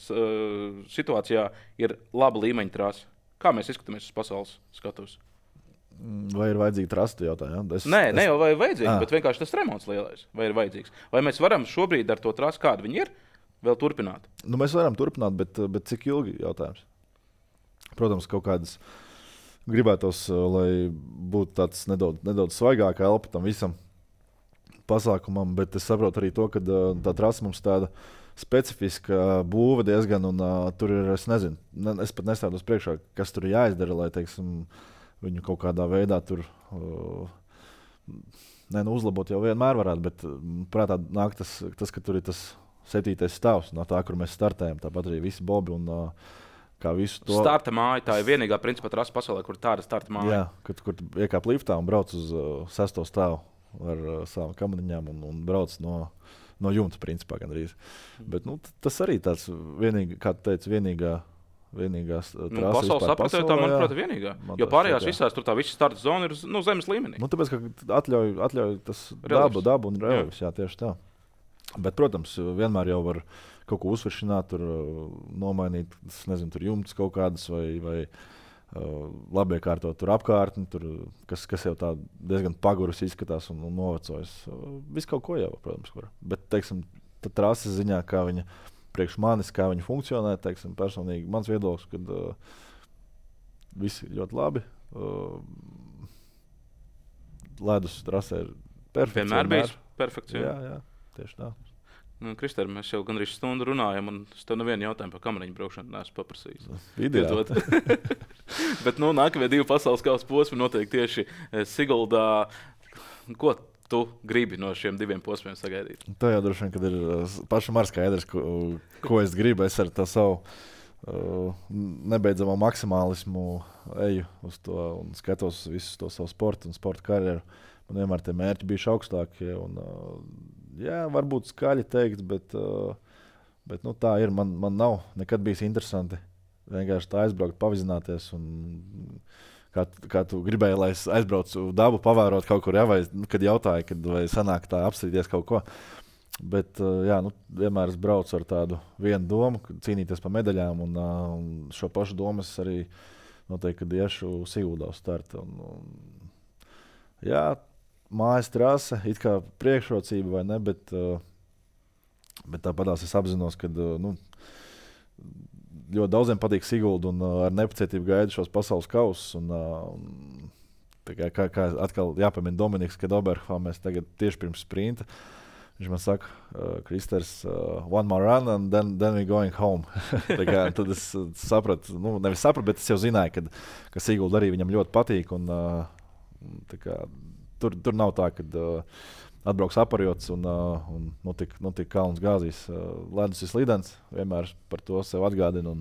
Speaker 2: situācijā ir laba līmeņa trase? Kā mēs izskatāmies uz pasaules skatuves?
Speaker 1: Vai ir vajadzīga trasta jautājuma?
Speaker 2: Ja? Ne jau vai vajadzīga, bet vienkārši tas remonts lielais. Vai ir vajadzīgs? Vai mēs varam šobrīd ar to trasi, kāda viņi ir, vēl turpināt?
Speaker 1: Mēs varam turpināt, bet cik ilgi jautājums? Protams, kaut kādas gribētos, lai būtu tāds nedaudz svaigāka elpa tam visam pasākumam, bet es saprotu arī to, ka tā trasa mums tāda specifiska būva diezgan, un tur ir, es nezinu, es pat nestādos priekšā, kas tur jāizdara, lai, teiksim, viņu kaut kādā veidā tur uzlabot jau vienmēr varētu, bet prātā nāk tas, ka tur ir tas 7. stāvs no tā, kur mēs startējam, tāpat arī visi bobi un kā visu to.
Speaker 2: Starta māja, tā ir vienīgā principā trasa pasaulē, kur tāda starta māja.
Speaker 1: Jā, kur iekāp liftā un brauc uz 6. stāvu ar savām kamaniņām un brauc no jumta, principā, gandrīz. Bet tas arī tāds kā tu teici, vienīgās trasa
Speaker 2: pasaules apritē, tā, manuprāt, vienīgā. Jo pārējās visās tur tā visa starta zona ir zemes līmenī.
Speaker 1: Tāpēc, ka atļauj tas dabu un relīvs, jā, tieši tā. Bet, protams, vienmēr jau var kaut ko uzsveršināt, tur nomainīt, nezinu, tur jumtas kaut kādas vai labiekārtot tur apkārtni, kas jau tā diezgan pagurus izskatās un novecojas. Viss kaut ko jau, protams, var. Bet, teiksim, tā trases ziņā, kā viņa priekš manis, kā viņa funkcionē, teiksim, personīgi mans viedoklis, kad visi ļoti labi. Ledus trasē ir perfekts.
Speaker 2: Vienmēr bijis perfekts.
Speaker 1: Jā, tieši tā.
Speaker 2: Kristēr, mēs jau gandrīz stundu runājam, un es tev nevienu jautājumu par kamariņu braukšanu neesmu paprasījis. Bet nākamie 2 pasaules kausa posmi noteikti tieši Siguldā. Ko tu gribi no šiem 2 posmiem sagaidīt?
Speaker 1: Tā jau droši vien, kad ir pašam ar skaidrs, ko es gribu. Es ar tā savu nebeidzamo maksimālismu eju uz to un skatos visu to savu sportu un sporta karjeru. Man vienmēr tie mērķi bijuši augstākie. Jā, varbūt skaļi teikt, bet tā ir. Man nav nekad bijis interesanti vienkārši tā aizbraukt, pavizināties. Kā tu gribēji, lai es aizbraucu dabu, pavērot kaut kur, vai kad jautāju, vai sanāk tā apstrīdties kaut ko. Bet vienmēr es braucu ar tādu vienu domu, cīnīties par medaļām, un šo pašu domu es arī noteikti, kad iešu Siguldā uz startu. Mājas trase, it kā priekšrocība vai ne, bet tāpatās es apzinos, ka ļoti daudziem patīk Sigulda un ar nepacietību gaidu šos pasaules kausus. Kā atkal jāpamina Dominiks, kad Oberhofā mēs tagad tieši pirms sprinta, viņš man saka, Kristers, one more run and then we going home. Tad es sapratu, nevis sapratu, bet es jau zināju, ka Sigulda arī viņam ļoti patīk. Tur nav tā, ka atbrauks aparjots un notika kalns gāzīs. Ledus ir slidens, vienmēr par to sev atgādina.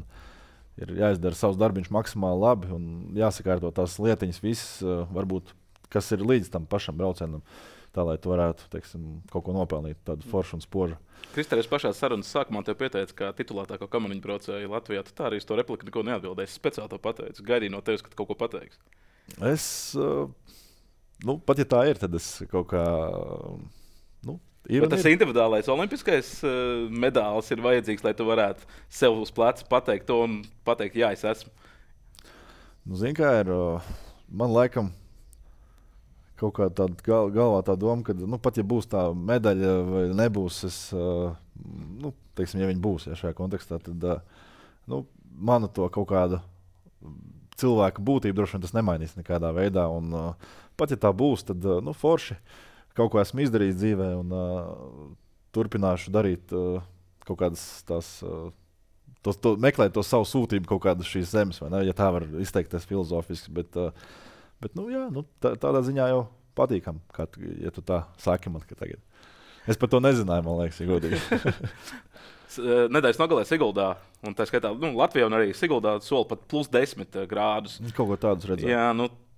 Speaker 1: Ir jāizdara savs darbiņš maksimāli labi un jāsakārto tās lietiņas visas, varbūt, kas ir līdz tam pašam braucienam, tā, lai tu varētu, teiksim, kaut ko nopelnīt, tādu foršu un spožu.
Speaker 2: Kristēr, es pašā sarunas sākumā tev pieteicu, ka titulētāko kamaniņu braucēju Latvijā. Tu tā arī uz to repliku neko neatbildēji. Es speciāli to pateicu. Gaidīju no tevis, ka tu kaut ko pateiksi.
Speaker 1: Pat ja tā ir, tad es kaut kā.
Speaker 2: Bet tas individuālais olimpiskais medālis ir vajadzīgs, lai tu varētu sev uz pleca pateikt to un pateikt, jā, es esmu.
Speaker 1: Zini, kā ir. Man laikam kaut kā tāda galvā tā doma, ka pat ja būs tā medaļa vai nebūs, teiksim, ja viņi būs šajā kontekstā, tad manu to kaut kādu cilvēka būtību droši vien tas nemainīs nekādā veidā. Un, pat ja tā būs, tad forši kaut ko esmu izdarījis dzīvē un turpināšu darīt kaut kādas tās, meklēt to savu sūtību kaut kādu šīs zemes, vai ne, ja tā var izteikties filozofiski, bet tādā ziņā jau patīkam, ja tu tā saki man, ka tagad. Es par to nezināju, man liekas, ja godīgi.
Speaker 2: Nedēļas nogalē Siguldā, un tā skaitā Latvijā un arī Siguldā sola pat +10 grādus.
Speaker 1: Kaut ko tādus redzēt.
Speaker 2: Jā,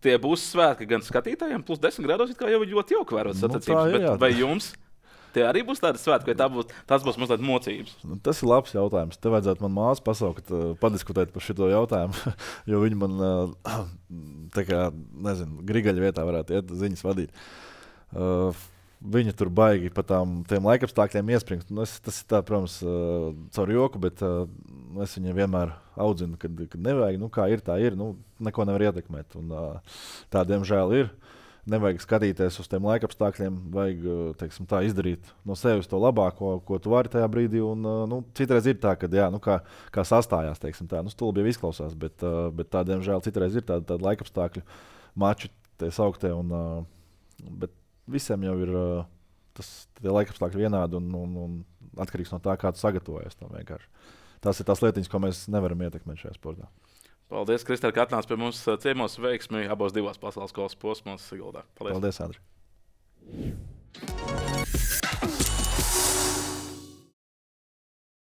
Speaker 2: tie būs svētki gan skatītājiem, plus 10 grādos, kā jau ļoti jauki vērot sacensības.
Speaker 1: ir,
Speaker 2: Vai jums tie arī būs tādi svētki, vai tas būs mazliet mocības?
Speaker 1: Tas ir labs jautājums. Te vajadzētu man māsu pasaukt, padiskutēt par šo jautājumu, jo viņi man tā kā, nezinu, grigaļa vietā varētu iet ziņas vadīt. Viņa tur baigi pa tiem laikapstākļiem iespringt. Tas ir tā, protams, caur joku, bet es viņu vienmēr audzinu, kad nevajag. Kā ir, tā ir. Neko nevar ietekmēt. Un, tā, diemžēl, ir. Nevajag skatīties uz tiem laikapstākļiem, vajag, teiksim, tā izdarīt no sevis to labāko, ko tu vari tajā brīdī. Un, citreiz ir tā, ka, jā, kā sastājās, teiksim tā. Stulbi jau izklausās, bet tā, diemžēl, citreiz ir tāda laikapstākļu mači, tie sauktie. Bet visiem jau ir tie laikapstākļi vienādi un atkarīgs no tā, kā tu sagatavojies tam vienkārši. Tās ir tās lietiņas, ko mēs nevaram ietekmēt šajā sportā.
Speaker 2: Paldies, Kristēl, ka atnāc pie mums ciemos, veiksmi abos divās pasaules kausa posmos Siguldā.
Speaker 1: Paldies, Andri.